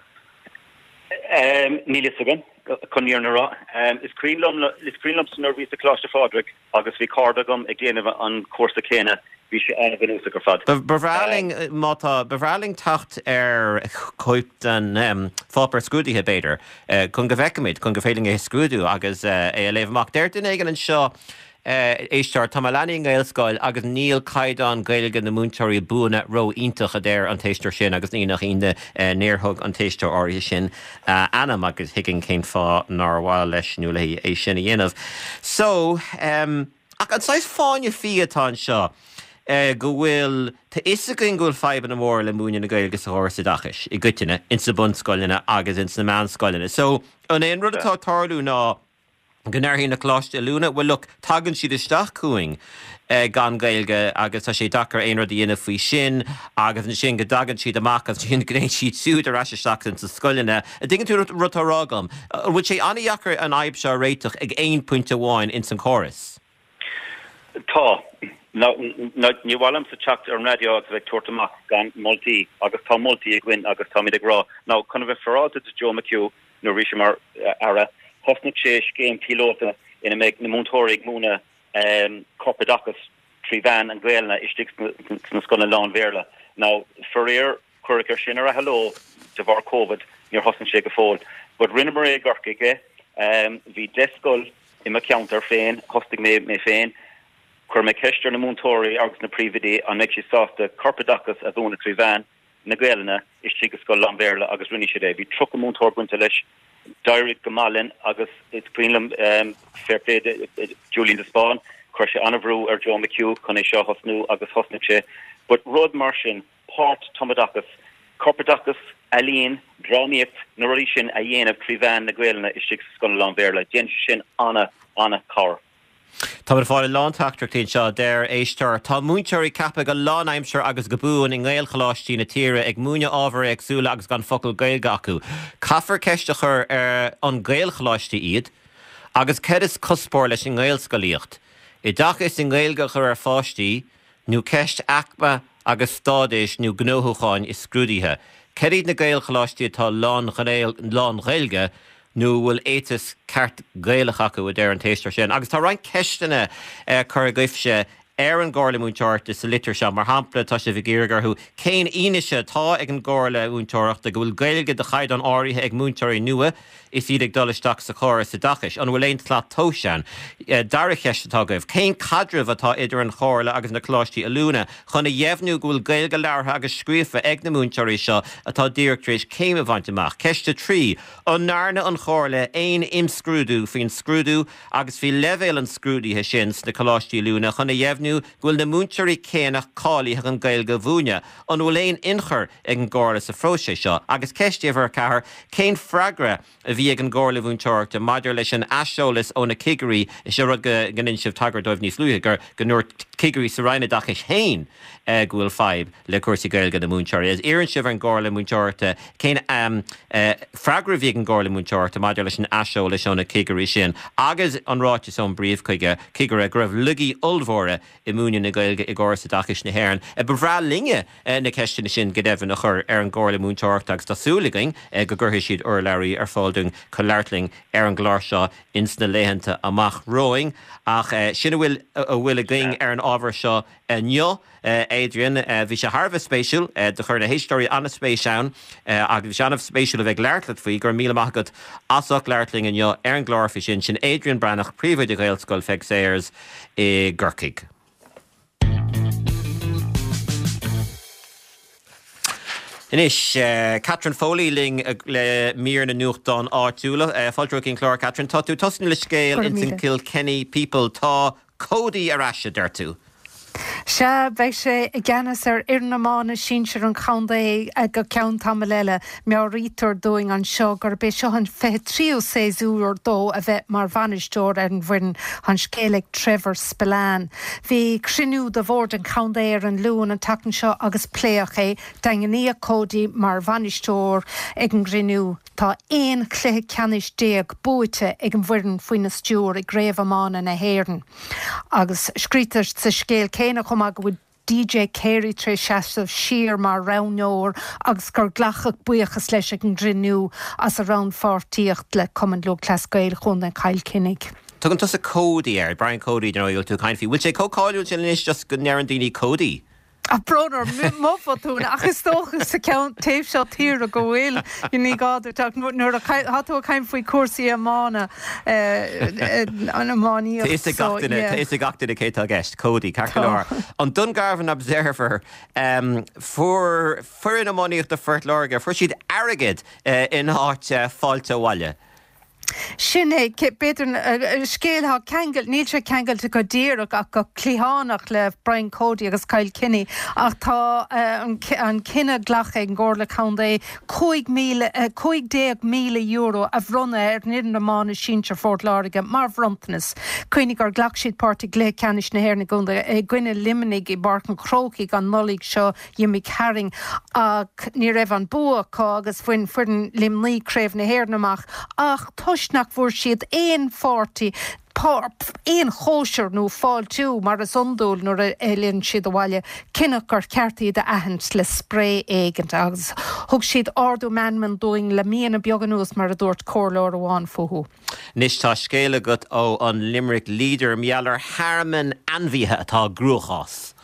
Níl fhios agam. Chun an fhírinne a rá, is cuimhin liom, is cuimhin liomsa nuair a bhíos i Coláiste Phádraig agus bhí cairde agam ag déanamh an cúrsa céanna, bhí sé an-bhunúsach ar fad. Ba bhreá linn, má tá, ba bhreá linn teacht ar chóip den pháipéar scrúdaithe, b'fhéidir, chun go bhfeicfimid, chun gur féidir linn é a scrúdú agus é a léamh amach. Deir duine éigin anseo, Éisteoir, Tá mo leanaí i nGaelscoil agus níl caighdeán Gaeilge na múinteoirí buana ró-iontach, a deir an t-éisteoir sin agus ní nach ionadh níor thug an t-éisteoir áirithe sin a ainm agus thuigfinn cén fáth nár mhaith leis nó léi é sin a dhéanamh. So, ach an saghas fáinne fí atá anseo go bhfuil, tá fhios againn go bhfuil fadhbanna móra le múineadh na Gaeilge sa chóras oideachais i gcoitinne, ins na bunscoileanna agus ins na meánscoileanna. So, an é an rud atá ag tarlú ná, go ndéarfaidh na coláistí oiliúna, bhuel look, tagann siad isteach chugainn gan Gaeilge agus tá sé deacair aon rud a dhéanamh faoi sin agus ansin go dtagann siad amach agus ansin go dtéann siad siúd ar ais isteach ins na scoileanna. An dtuigeann tú an rud atá á rá agam? An bhfuil sé an-dheacair an fhadhb seo a réiteach ag aon phointe amháin ins an chóras? Tá. Ní mhaith liomsa teacht ar an raidió agus a bheith ag tabhairt amach gan moltaí agus tá moltaí againn agus táimid ag rá, now chun a bheith féaráilte do Joe McHugh, Nuair a bhí sé mar Aire, thosnaigh sé scéim píolóta ina mbeidh na múinteoirí ag múineadh corpoideachas trí mheán an Ghaelainne istigh sna scoileanna lán-Bhéarla. Now, faraor, cuireadh air sin ar athló de bharr Covid, níor thosnaigh sé go fóill. But rinneamar é i gCorcaigh é. Bhí 10 scoil i mo cheantar féin, thosnaigh mé mé féin. Chuir mé ceist ar na múinteoirí agus na príomhoidí an mbeidh siad sásta corpoideachas a mhúineadh trí mheán na Gaelainne istigh i scoil lán-Bhéarla agus rinne siad é. Bhí 30 múinteoir bainte leis. D'éirigh go maith linn agus is cuimhin liom, fair play do Julian de Spáinn, chuir sé an-bhrú ar Joe McHugh chun é seo a thosnú agus thosnaigh sé. But rud mar sin, páirt tumoideachas, corpoideachas, ealaín, drámaíocht, na rudaí sin a dhéanamh trí mheán na Gaelainne istigh sa scoil lán-Bhéarla, déanann sé sin an-an-chabhair. Táimid ag fáil a lán teachtaireachtaí anseo. Deir éisteoir, Tá múinteoirí ceaptha go lánaimseartha agus go buan i nGaelcholáistí na tíre ag múineadh ábhair éagsúla agus gan focal Gaeilge acu. Caithfear ceist a chur ar an Gaelcholáistí iad agus céard is cuspóir leis an nGaelscolaíocht? Oideachas i nGaeilge a chur ar pháistí nó ceist aicme agus stádais nó gnóthúcháin i scrúduithe? Céard iad na Gaelcholáistí atá lán-Ghaeilge nó an bhfuil éiteas ceart Gaelach acu, a deir an t-éisteoir sin. Agus tá roinnt ceisteanna curtha agaibhse ar an gComhairle Múinteoireachta sa litir seo. Mar shampla, tá sibh ag iarraidh orthu cén fhianaise atá ag an gComhairle Mhúinteoireachta go bhfuil Gaeilge de chaighdeán áirithe ag múinteoirí nua is iad ag dul isteach sa chóras oideachais. An bhfuil aon tslat tomhais ann? Dara cheist atá agaibh, cén caidreamh atá idir an Chomhairle agus na coláistí oiliúna chun a dheimhniú go bhfuil Gaeilge labhartha agus scríofa ag na múinteoirí seo atá díreach tar éis céim a bhaint amach? Ceist 3, An ndearna an Chomhairle aon imscrúdú faoin scrúdú agus faoi leibhéal an scrúdaithe sin sna coláistí oiliúna chun a dheimhniú go bhfuil na múinteoirí céanna cáilithe chun Gaeilge a mhúineadh? An bhfuil aon ionchur ag an gComhairle sa phróiseas seo? Agus ceist uimhir 4, cén freagra a bhí ag an gComhairle Mhúinteoireachta maidir leis an aiseolas ó na cigirí, is é rud go ndein sibh tagairt dóibh níos luaithe, gur go ndúirt cigirí sa Roinn Oideachais féin go bhfuil fadhb le cúrsaí Gaeilge na múinteoirí. Agus iarrann sibh ar an gComhairle Múinteoireachta cén freagra a bhí ag an gComhairle Múinteoireachta maidir leis an aiseolas ó na cigirí sin agus an ráiteas ón bpríomhchigire go raibh laigí ollmhóra i múineadh na Gaeilge i gcóras oideachais na hÉireann. Ba bhreá linne na ceisteanna sin go deimhin a chur ar an gComhairle Múinteoireachta agus tá súil againn go gcuirfidh siad urlabhraí ar fáil dúinn chun labhairt linn ar an gclár seo ins na laethanta amach romhainn. Ach sin a bhfuil a bhfuil againn ar an ábhar seo inniu. Adrian, Bhí sé thar a bheith spéisiúil. Do chuir na héisteoirí an-spéis ann agus bhí sé an-spéisiúil a bheith ag labhairt leat faoi. Go raibh míle maith agat as ucht labhairt linn inniu ar an gclár faoi sin. Sin Adrian Breathnach, Príomhoide Ghaelscoil Pheig Sayers i gCorcaigh. Anois, Catherine Foley linn le mír na nuachtán áitiúla. Fáilte romhat chuig an chlár, Catherine. Tá tú ag tosnú le scéal ins an Kilkenny People. Tá Cody ar ais, a deir tú. Sea, beidh sé i gceannas ar fhoireann iomána sinsir an chontae go ceann tamaill eile. Meabhraítear dúinn anseo gurb é seo an 23ú séasúr dó a bheith mar bhainisteoir ar an bhfoireann. Tá an scéal ag Trevor Spillane. Bhí cruinniú de bhord an chontae ar an Luan an tseachtain seo agus pléadh é. Daingníodh Cody mar bhainisteoir ag an gcruinniú. Tá 11 chluiche ceannais buaite ag an bhfoireann faoina stiúir i gCraobh Iomána na hÉireann. Agus scrítear sa scéal céanna chomh maith go bhfuil. DJ Carey tar éis seasamh siar mar roghnóir agus gur glacadh buíochas leis ag an gcruinniú as a rannpháirtíocht le Cumann Lúthchleas Gael Chontae Chill Chainnigh. Tugann tusa Cody air, Brian Cody, dar ndóigh, a bhfuil tú ag caint faoi. Bhfuil sé chomh cáiliúil sin anois just go ndeireann daoine Cody? Ah, brón orm, mo bhotún, ach is dócha sa cheann taobh seo tíre go bhfuil, ní gá duit ach nuair atá tú ag caint faoi chúrsaí iomána, an iománaíocht, Tá fhios ag gach duine, tá fhios ag gach duine cé atá i gceist, Cody, ceart go leor. An Dungarvan Observer, fuair foireann iománaíochta Phort Láirge, fuair siad airgead in áit fáilte abhaile. Sin é, b'fhéidir, scéal atá ceangailte, níl sé ceangailte go díreach ach go cliathánach le Brian Cody agus Cill Chainnigh ach tá an cinneadh glactha ag an gComhairle Contae €15,000 a bhronnadh ar an fhoireann iomána sinsir Phort Láirge mar bhronntanas. Cuimhnigh gur ghlac siad páirt i gcluiche ceannais na hÉireann i gcoinne Luimnigh i bPáirc an Chrócaigh an Nollaig seo d'imigh tharainn ach ní raibh an bua acu agus bhain foireann Luimnigh Craobh na hÉireann amach ach toisc nach bhfuair siad aon pháirtí, aon chóisir nó fáiltiú mar is iondúil nuair a fhilleann siad abhaile, cinneadh gur cheart iad a aithint le spraoi éigin agus thug siad ardú meanman dúinn le míonna beaga anuas mar a dúirt comhairleoir amháin fúthu. Anois tá scéal agat ó an Limerick Leader mar gheall ar thearmann ainmhithe atá i gcruachás.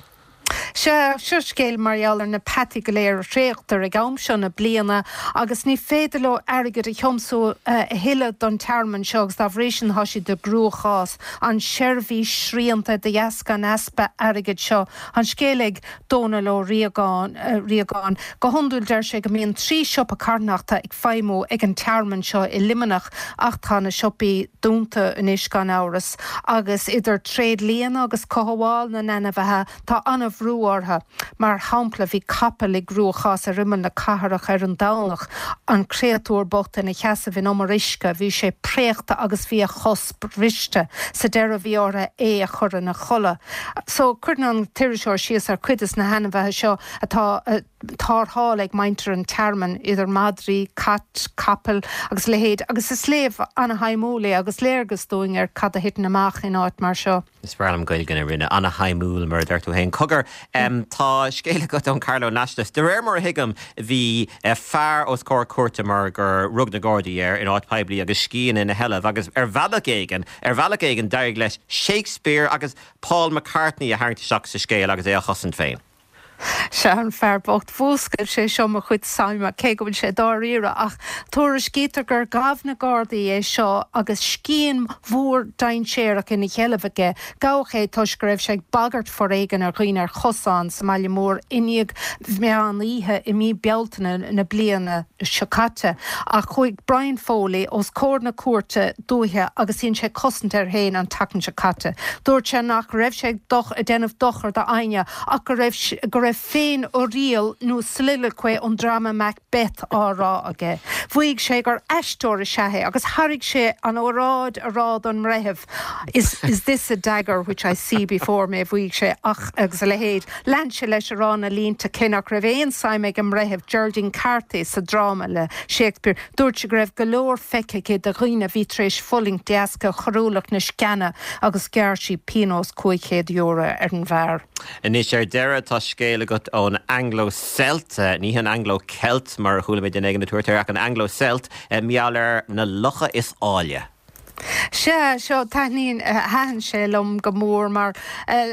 Sea, seo scéal mar gheall ar na peataí go léir a thréigtear ag am seo na bliana agus ní féidir leo airgead a thiomsú a thuilleadh don tearmann seo agus dá bhrí sin tá siad i gcruachás. An seirbhís srianta de dheasca an easpa airgid seo. An scéal ag Dónal Ó Riagáin. Go hiondúil deir sé go mbíonn 3 siopa carthanachta ag feidhmiú ag an tearmann seo i Luimneach ach tá na siopaí dúnta anois gan amhras agus idir tréidlianna agus cothabháil na n-ainmhithe tá an-bhrú orthu. Mar shampla bhí capall i gcruachás ar imeall na cathrach ar an Domhnach, an créatúr bocht ina sheasamh in umar uisce, bhí sé préachta agus bhí a chos briste. Sa deireadh bhí orthu é a chur ina chodladh. So cuireann an t-iriseoir síos ar chuid des na hainmhithe seo atá tarrthála ag muintir an tearmainn, idir madraí, cait, capaill agus a leithéid, agus is léamh ana-shuimiúil é agus léargas dúinn ar cad a thiteann amach in áit mar seo. Is breá liom Gaeilge na Rinne, ana-shuimiúil mar a deir tú féin. Cogar, tá scéal agat ón Carlow Nationalist. De réir mar a thuigim, bhí fear os comhair cúirte mar gur rug na Gardaí air in áit poiblí agus scian ina sheilbh agus ar bhealach éigin, ar bhealach éigin d'éirigh leis Shakespeare agus Paul McCartney a tharraingt isteach sa scéal agus é á chosaint féin. Sea, an fear bocht. Mhúscail sé seo mo chuid suime, cé go bhfuil sé dáiríre, ach tuairiscítear gur ghabh na Gardaí é seo agus scian mhór dainséarach ina sheilbh aige. Gabhadh é toisc go raibh sé ag bagairt foréigin ar dhaoine ar chosán sa mbaile mór i ndiaidh mheán oíche i mí Bealtaine na bliana seo caite. Ach chuaigh Brian Foley os comhair na cúirte dúiche agus dhein sé cosaint air féin an tseachtain seo caite. Dúirt sé nach raibh sé ag déanamh dochar d'éinne ach go raibh go raibh féin-uiríoll nó soliloquy ón dráma Macbeth á rá aige. Mhaígh sé gur aisteoir is ea é agus thairg sé an oráid a rá don mbreitheamh, Is is this a dagger which I see before me, mhaígh sé, ach agus a leithéid. Lean sé leis a rá na línte cé nach raibh aon suim ag an mbreitheamh, Geraldine Carthy, sa dráma le Shakespeare. Dúirt sé go raibh go leor feicthe aici de dhaoine a bhí tar éis fulaingt de dheasca choiriúlacht na sciana agus ghearr sí pionós €500 ar an bhfear. Anois ar deireadh tá scéal agat ón Anglo Celt, ní an Anglo Celt mar a chuala mé duine éigin ag tabhairt air ach an Anglo Celt, mar gheall ar na locha is áille. Sea, seo, taitníonn, thaitin sé liom go mór mar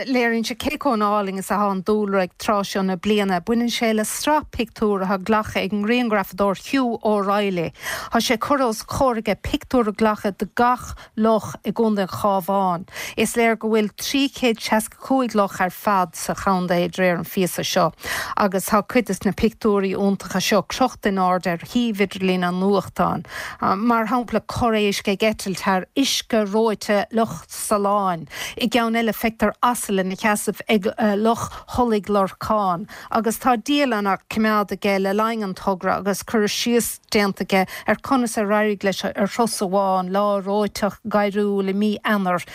léiríonn sé cé chomh álainn is atá an dúlra ag tráth seo na bliana. Baineann sé le sraith pictiúr atá glactha ag an ngrianghrafadóir Hugh O'Reilly. Tá sé curtha os a chomhair aige pictiúr a ghlacadh de gach loch i gContae an Chabháin. Is léir go bhfuil 365 loch ar fad sa chontae de réir an phíosa seo agus tá cuid de na pictiúirí iontacha seo crochta in airde ar shuíomh idirlín an nuachtáin. Mar shampla, corr-éisc ag eitilt thar uisce reoite Loch Salann. I gceann eile feictear asal ina sheasamh ag Loch Thulaigh Lorcáin. Agus tá dialann á coimeád aige le linn an togra agus cur síos déanta aige ar conas ar éirigh leis ar thuras amháin, lá reoiteach gairiúil i mí Eanáir.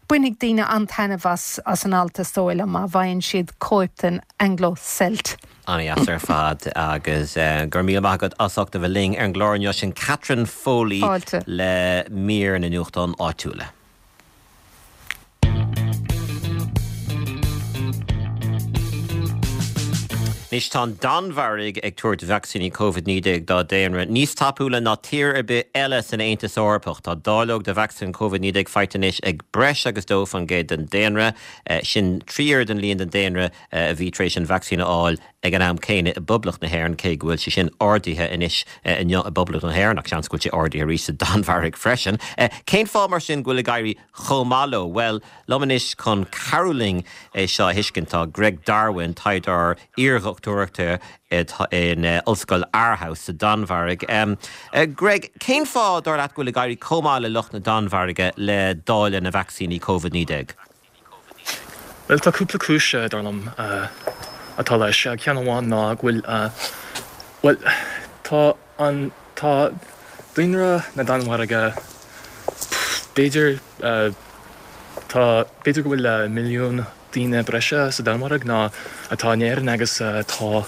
Bainfidh daoine an-taitneamh as an alt is dóigh liom má bhfaigheann siad cóip den Anglo Celt. An-dheas ar fad agus go raibh míle maith agat as ucht a bheith linn ar an gclár inniu. Sin Catherine Foley Fáilte. le mír na nuachtán áitiúla. Anois tá an Danmhairg ag tabhairt vacsaíní Covid-19 dá daonra níos tapúla ná tír ar bith eile san Aontas Eorpach. Tá dáileog de vacsaín Covid-19 faighte anois ag breis agus 2% den daonra. Sin 3 oiread an líon den daonra a bhí tar éis an vacsaín a fháil ag an am céanna i bPoblacht na hÉireann, cé go bhfuil sé sin ardaithe anois inniu i bPoblacht na hÉireann, ach seans go bhfuil sé ardaithe arís sa Danmhairg freisin. Cén fáth mar sin go bhfuil ag éirí chomh maith leo? Bhuel, liom anois chun cabhrú linn é seo a thuiscint tá Greg Darwin, taighdeoir iardhochtúireachta in Ollscoil Aarhus sa Danmhairg. Greg, cén fáth, dar leat, go bhfuil ag éirí chomh maith le lucht na Danmhairge le dáileadh na vacsaíní Covid-19? Bhuel, tá cúpla cúis, dar liom, atá leis. Ceann amháin ná go bhfuil, bhuel, tá an, tá daonra na Danmhairge, b'fhéidir, tá, b'fhéidir go bhfuil milliún daoine breise sa Danmhairg ná atá in Éirinn agus tá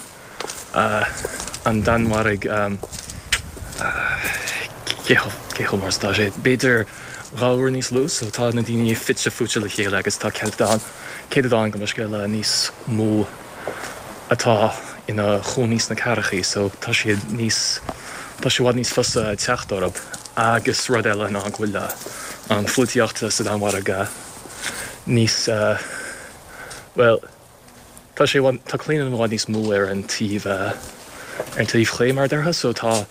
an Danmhairg, cé chomh mór is atá sé, b'fhéidir 2 uair níos lú, so tá na daoine fite fuaite le chéile agus tá céatadán, céatadán gabh mo leithscéal níos mó atá ina chónaí sna cathrachaí so tá siad níos, tá sé i bhfad níos fusa teacht orthu. Agus rud eile ná go bhfuil an pholaitíocht sa Danmhairg níos, bhuel, Tá sé, tá claonadh i bhfad níos mó ar an taobh, ar an taobh chlé mar a déarfá, so tá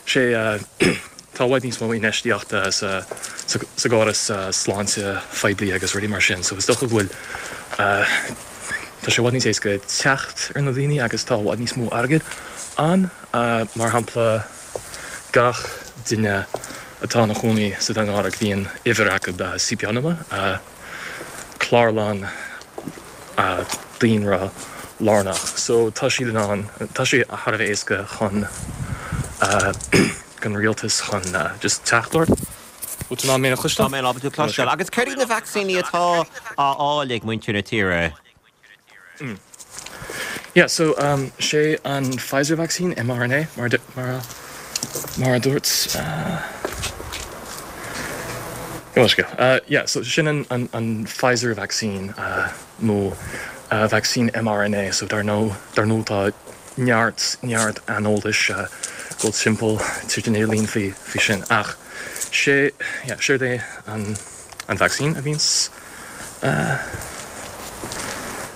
sé, tá i bhfad níos mó infheistíochta sa, sa gcóras sláinte phoiblí agus rudaí mar sin, so is dócha go bhfuil, tá sé i bhfad níos éasca teacht ar na daoine agus tá i bhfad níos mó airgid ann, mar shampla gach duine atá ina chónaí sa Danmhairg bíonn uimhir acu, CPR-nummer, clárlann daonra lárnach so tá siad in ann, tá sé thar a bheith éasca chun don rialtas chun just teacht ort. Bhfuil tú in ann mé a chloisteáil? Tá mé ábalta tú a chloisteáil. Agus céard iad na vacsaíní atá á fháil ag muintir na tíre? Yeah, so sé an Pfizer vaccine, mRNA, mar mar mar a dúirt gabh mo leithscéal. Yeah, so sin an an an Pfizer vaccine nó vacsaín mRNA, so dar ndóigh dar ndóigh tá neart neart aineolais ag dul timpeall tríd an idirlíon faoi faoi sin ach sé yeah séard é an an vacsaín a bhíonns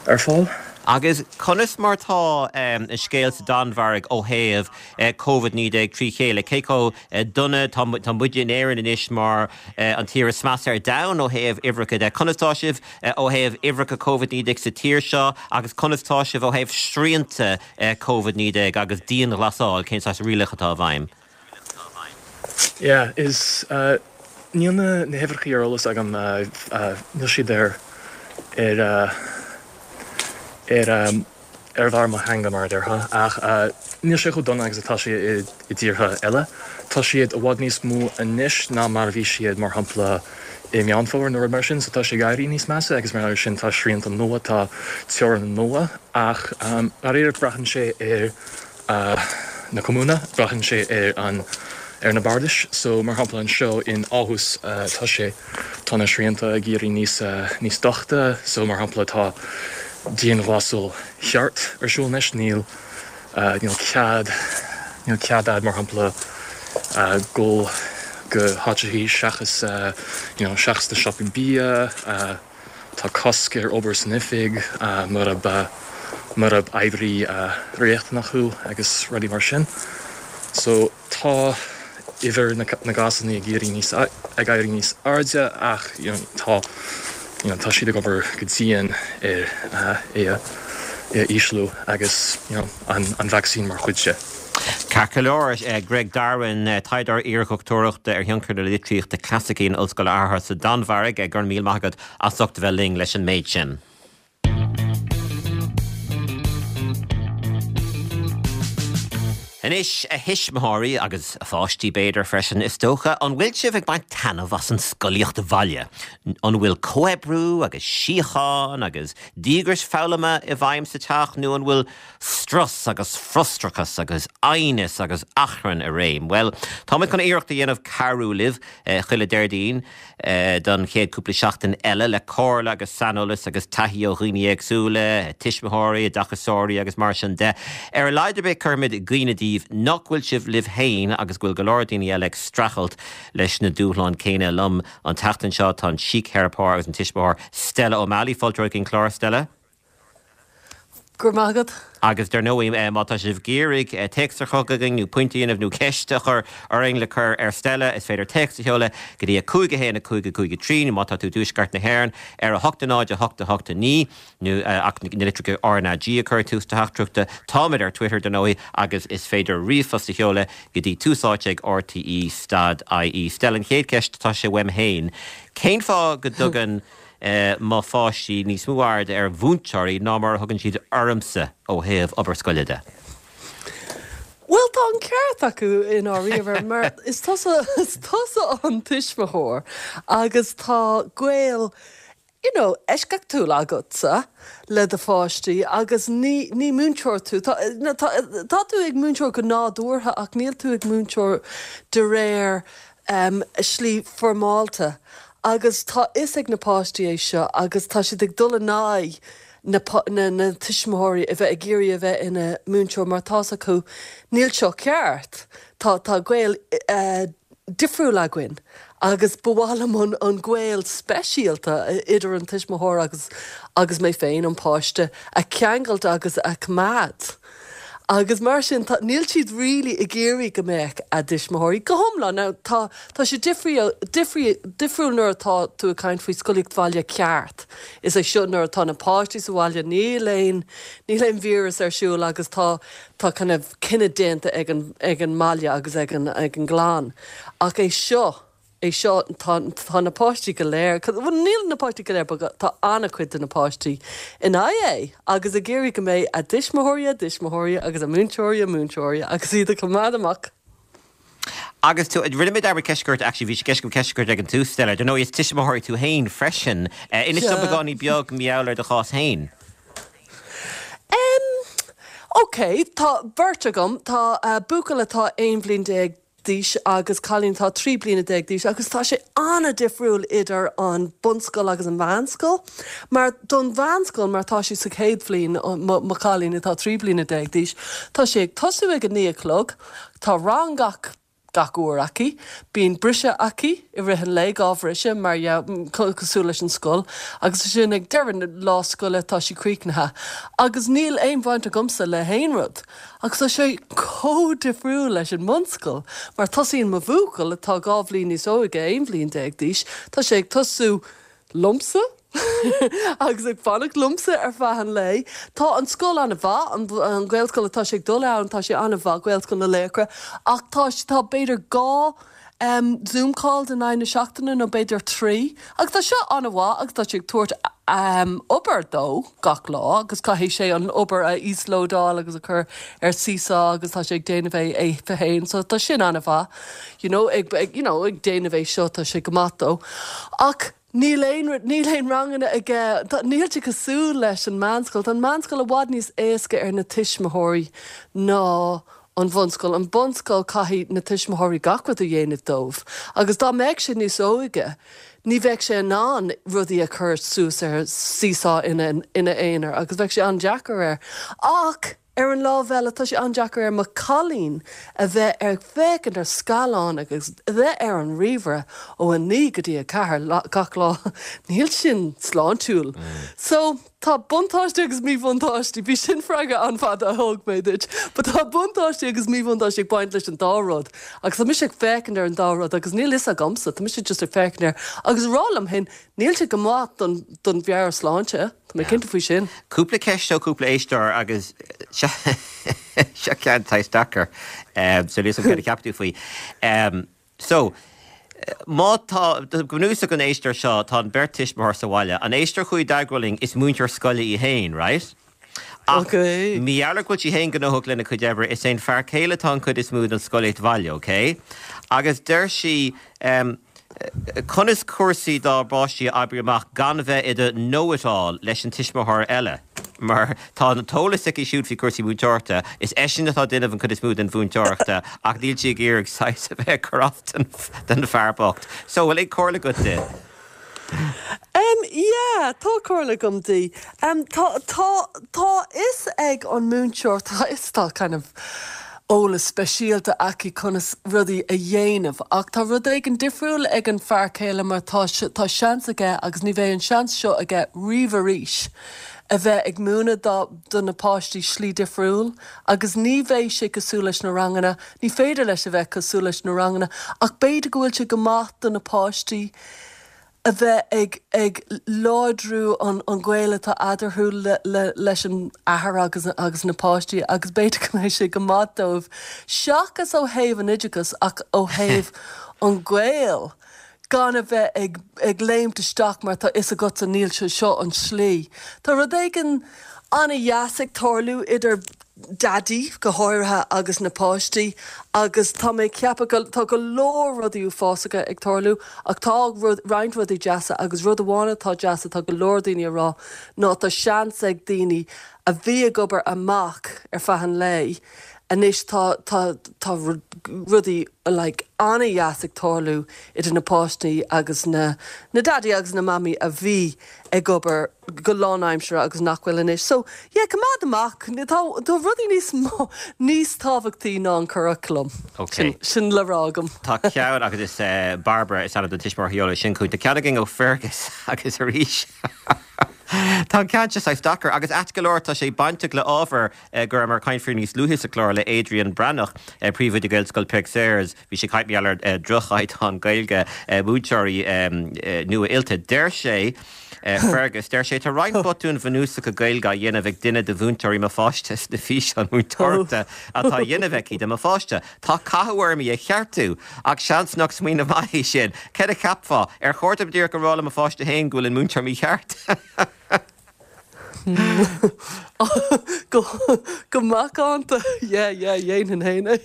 ar fáil. Agus conas mar tá an scéal sa Danmhairg ó thaobh Covid-19 trí chéile? Cé chomh dona? Tá muide in Éirinn anois mar an tír is measa ar domhan ó thaobh uimhreacha de. Conas tá sibh ó thaobh uimhreacha Covid-19 sa tír seo agus conas tá sibh ó thaobh srianta Covid-19 agus dianghlasáil? Cén saghas rialacha atá i bhfeidhm? Yeah, is níl na na huimhreacha ar eolas agam, níl siad ar ar ar ar bharr mo theanga mar a déarfá, ach níl sé chomh dona agus atá sé i i dtíortha eile. Tá siad i bhfad níos mó anois ná mar a bhí siad mar shampla i Meán Fómhair nó rud mar sin, so tá sé ag éirí níos measa agus mar sin tá srianta nua, tá teorainn nua ach dáiríre braitheann sé ar na kommuner, braitheann sé ar an ar na bardais. So, mar shampla anseo in Aarhus tá sé, tá na srianta ag éirí níos níos doichte. So, mar shampla tá dianghlasáil cheart ar siúl anois, níl níl cead níl cead a'd mar shampla dul go háiteachaí seachas you know seachas na siopaí bia, Tá cosc ar obair san oifig murab murab oibrí riachtanach thú agus rudaí mar sin. So tá uimhir na gcásanna ag éirí níos ag éirí níos airde ach you know tá you know tá siad ag obair go dian ar é a é a ísliú agus you know an an vacsaín mar chuid de. Ceart go leor, Greg Darwin, taighdeoir iardhochtúireachta ar thionchar na litríochta clasaicí in Ollscoil Aarhus sa Danmhairg, go raibh míle maith agat as ucht a bheith linn leis an méid sin. Anois, a thuismitheoirí, agus a pháistí b'fhéidir freisin, is dócha, an bhfuil sibh ag baint taitneamh as an scolaíocht bhaile? An bhfuil comhoibriú agus síocháin agus díograis foghlama i bhfeidhm sa teach nó an bhfuil strus agus frustrachas agus aighneas agus achrann i réim? Bhuel, táimid chun iarracht a dhéanamh cabhrú libh chuile Déardaoin don chéad cúpla seachtain eile le comhairle agus saineolas agus taithí ó dhaoine éagsúla, tuismitheoirí, oideachasóirí agus mar sin de. Ar a laghad ar bith cuirfimid i gcuimhne daoibh nach bhfuil sibh libh féin agus go bhfuil go leor daoine eile ag streachailt leis na dúshláin céanna. Liom an tseachtain seo tá an síctheiripeoir agus an tuismitheoir Stella O'Malley. Fáilte romhat chuig an chlár, Stella. Go raibh maith agat. Agus dar ndóigh, má tá sibh ag iarraidh téacs a chur chugainn nó pointe a dhéanamh nó ceist a chur orainn le cur ar Stella, is féidir téacs a sheoladh go dtí 5 1 5 5 3 nó má tá tú i dtuaisceart na hÉireann ar 8 0 8 8 9 nó ach na litreacha RnaG a chur ag tús do theachtaireachta. Táimid ar Twitter dar ndóigh agus is féidir ríomhphost a sheoladh go dtí tús áite ag rte stad ie. Stella, an chéad cheist, tá sé uaim féin. Cén fáth go dtugann mo pháistí níos mó aird ar mhúinteoirí ná mar a thugann siad ormsa ó thaobh obair scoile de. Bhuel, tá an ceart acu i ndáiríre mar is tusa, is tusa an tuismitheoir agus tá gaol, you know, eisceachtúil agatsa le do pháistí agus ní, ní múinteoir tú. Tá, tá, tá tú ag múinteoir go nádúrtha ach níl tú ag múinteoir de réir slí foirmeálta agus tá fhios ag na páistí é seo agus tá siad ag dul in aghaidh na na tuismitheoirí a bheith ag iarraidh a bheith ina múinteoir mar tá's acu níl seo ceart, tá tá gaol difriúil againn agus ba mhaith liom an an gaol speisialta idir an tuismitheoir agus agus mé féin, an páiste, a cheangailt agus a choimeád. Agus mar sin, tá, níl siad really ag iarraidh go mbeadh a dtuismitheoirí go hiomlán. Now, tá, tá sé difriúil, difriúil nuair atá tú ag caint faoi scolaíocht bhaile ceart. Is é seo nuair atá na páistí sa bhaile, níl aon, níl aon víreas ar siúl agus tá, tá kind of cinneadh déanta ag an, ag an mbaile agus ag an, ag an gclann. Ach é seo, é seo, tá, tá na páistí go léir, bhuel níl na páistí go léir but tá an-chuid de na páistí in aghaidh é agus ag iarraidh go mbeidh a dtuismitheoirí a dtuismitheoirí agus a múinteoirí a múinteoirí agus iad a choimeád amach. Agus tú, rinne mé dearmad ceist a chur ort, actually bhí sé i gceist agam ceist a chur ort ag an tús, Stella, dar ndóigh is tuismitheoir tú féin freisin. Inis dom beagáinín beag mar gheall ar do chás féin. Em, ok, tá beirt agam, tá buachaill atá 11 bhliain d'aois agus cailín atá 13 bliana d'aois agus tá sé an-difriúil idir an bunscoil agus an mheánscoil mar don mheánscoil mar tá sé sa chéad bhliain mo mo chailín atá 13 bliana d'aois tá sé ag tosú ag a naoi a chlog tá rang gach gach uair aici bíonn briseadh aici i rith an lae dhá bhriseadh mar cosúil leis an scoil agus ansin ag deireadh na lá scoile tá sí críochnaithe agus níl aon bhaint agamsa le haon rud. Agus tá sé chomh difriúil leis an mbunscoil, mar tosaíonn mo bhuachaill, atá 2 bhliain níos óige, 11 bhliain d'aois, tá sé ag tosú liomsa agus ag fanacht liomsa ar feadh an lae. Tá an scoil an-mhaith, an Ghaelscoil atá sé ag dul ann, tá sé an-mhaith, Gaelscoil na Laochra, ach tá, tá b'fhéidir 2 Zoom calls in aghaidh na seachtaine nó b'fhéidir 3 agus tá seo an-mhaith agus tá sé ag tabhairt obair dó gach lá agus caithfidh sé an obair a íoslódáil agus a chur ar Seesaw agus tá sé ag déanamh é é féin so tá sin an-mhaith you know ag ag you know ag déanamh é seo tá sé go maith dó ach níl aon níl aon ranganna aige tá níl sé cosúil leis an meánscoil tá an meánscoil i bhfad níos éasca ar na tuismitheoirí ná an bhunscoil. An bunscoil caithfidh na tuismitheoirí gach rud a dhéanamh dóibh agus dá mbeadh sé níos óige ní bheadh sé in ann rudaí a chur suas ar Seesaw ina ina aonar agus bheadh sé an-deacair air. Ach ar an lámh eile tá sé an-deacair ar mo chailín a bheith ag féachaint ar scaileán agus a bheith ar an ríomhaire ó 9 go dtí 4 gach lá. Níl sin sláintiúil. So. Tá buntáistí agus míbhuntáistí, bhí sin freagra an-fhada a thug mé duit, but tá buntáistí agus míbhuntáistí ag baint leis an dá rud agus tá mise ag féachaint ar an dá rud agus níl fhios agamsa, tá mise just ag féachaint air agus ag rá liom féin, níl sé go maith don, don mheabhairshláinte, tá mé cinnte faoi sin. Cúpla ceist ó cúpla éisteoir agus seo seo ceann saghas deacair, so níl fhios agam céard a cheapann tú faoi. So, má tá, go bunúsach an éisteoir seo, tá an beirt tuismitheoir sa bhaile. An éisteoir a chuaigh i dteagmháil linn, is múinteoir scoile í féin, right? Ach mar gheall ar go bhfuil sí féin gnóthach lena cuid oibre, is é an fear céile atá an chuid is mó den scolaíocht bhaile, ok? Agus deir sí, em, conas cúrsaí dá bpáistí a oibriú amach gan bheith i do know-it-all leis an tuismitheoir eile? Mar tá an t-eolas aici siúd faoi chúrsaí múinteoireachta, is eisean atá ag déanamh an chuid is mó den mhúinteoireachta ach níl sí ag iarraidh saghas a bheith ag cur as don fear bocht. So, bhfuil aon comhairle agat di? Em, yeah, tá comhairle agam di. Em, tá, tá, tá fhios ag an múinteoir, tá fhios, tá kind of eolas speisialta aici conas rudaí a dhéanamh ach tá rud éigin difriúil ag an fear céile mar tá, tá seans aige agus ní bheidh an seans seo aige riamh arís a bheith ag múineadh do, do na páistí slí difriúil agus ní bheidh sé cosúil leis na ranganna, ní féidir leis a bheith cosúil leis na ranganna ach b'fhéidir go bhfuil sé go maith do na páistí a bheith ag ag láidriú an an gaol atá eadarthu le le leis an athair agus agus na páistí agus b'fhéidir go mbeidh sé go maith dóibh seachas ó thaobh an oideachais ach ó thaobh an gaol gan a bheith ag ag léimt isteach mar tá fhios agatsa níl sé seo an slí. Tá rud éigin an-dheas ag tarlú idir Daidí, go háirithe, agus na páistí agus tá mé ag ceapadh go, tá go leor rudaí uafásacha ag tarlú ach tá rud, roinnt rudaí deasa agus rud amháin atá deas atá go leor daoine a rá ná tá seans ag daoine a bhí ag obair amach ar feadh an lae anois tá, tá, tá rudaí like an-dheas ag tarlú idir na páistí agus na, na daidí agus na mamaí a bhí ag obair go lánaimseartha agus nach bhfuil anois. So, yeah, coimeád amach. Tá, tá rudaí níos mó, níos tábhachtaí ná an curaclam. Ok. Sin, sin le rá agam. Tá ceann agus is eh, Barbara is ainm don tuismitheoir a sheol é sin chugainn. Tá ceann againn ó Fergus agus arís tá an ceann seo saghas deacair agus ait go leor tá sé bainteach le ábhar eh, go rabhamar ag caint faoi níos luaithe sa chlár le Adrian Breathnach, eh, príomhoide Gaelscoil Pearse. Bhí sé ag caint mar gheall ar dhroch-chaighdeán Gaeilge múinteoirí nua-oilte. Deir sé, Fergus, deir sé, tá roinnt botúin bhunúsacha Gaeilge á dhéanamh ag duine de mhúinteoirí mo pháiste sna físeáin múinteoireachta atá á dhéanamh aici do mo pháiste. Tá cathú orm í a cheartú, ach seans nach smaoineamh maith é sin. Céard a cheapfá? Ar chóir dom díreach a rá le mo pháiste féin go bhfuil an múinteoir mícheart? Go go macánta, yeah, yeah, dhéanfainn féin é.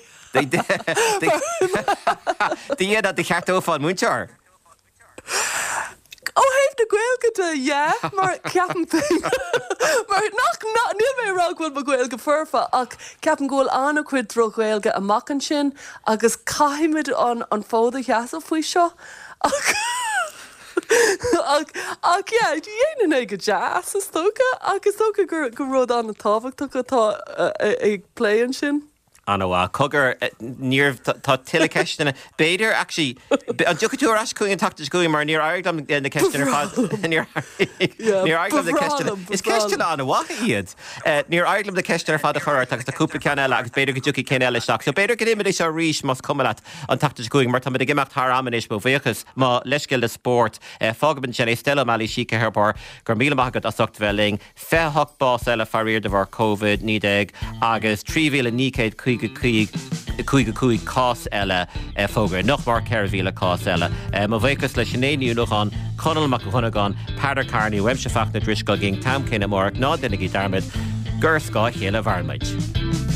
Do do cheartófá an múinteoir? Ó thaobh na Gaeilge de, yeah, mar ceapaim féin, mar nach, nach, níl mé ag rá go bhfuil mo Ghaeilge foirfe ach ceapaim go bhfuil an-chuid droch-Ghaeilge amach ansin agus caithfimid an an fód a sheasamh faoi seo ach Ach, ach yeah, dhéanfainn é go deas, is dócha, ach is dócha gur, gur rud an-tábhachtach atá ag plé ansin. An-mhaith. Cogar, níor, tá tuilleadh ceisteanna. B'fhéidir, actually, an dtiocfaidh tú ar ais chugainn an tseachtain seo chugainn mar níor éirigh liom na ceisteanna ar fad, níor níor éirigh liom na ceisteanna, is ceisteanna an-mhaith iad. Níor éirigh liom na ceisteanna ar fad a chur ort agus tá cúpla ceann eile agus b'fhéidir go dtiocfaidh cinn eile isteach. So b'fhéidir go ndéanfaimid é seo arís más cuma leat an tseachtain seo chugainn mar táimid ag imeacht thar am anois, mo bhuíochas. Mo leithscéal le spórt. Fágfaimid ansin é. Stella O'Malley, síctheiripeoir, go raibh míle maith agat as ucht bheith linn. 28 bás eile faraor de bharr Covid-19 agus 3,955 cás eile fógartha. Nach mór 4,000 cás eile. Mo bhuíochas le Sinéad Ní Nuacháin, Conall Mac Dhonnagáin, Peadar Kearney, uaimse Fachtna Drisceoil, an t-am céanna amárach. Ná déanaigí dearmad gur ar scáth a chéile a mhaireann muid.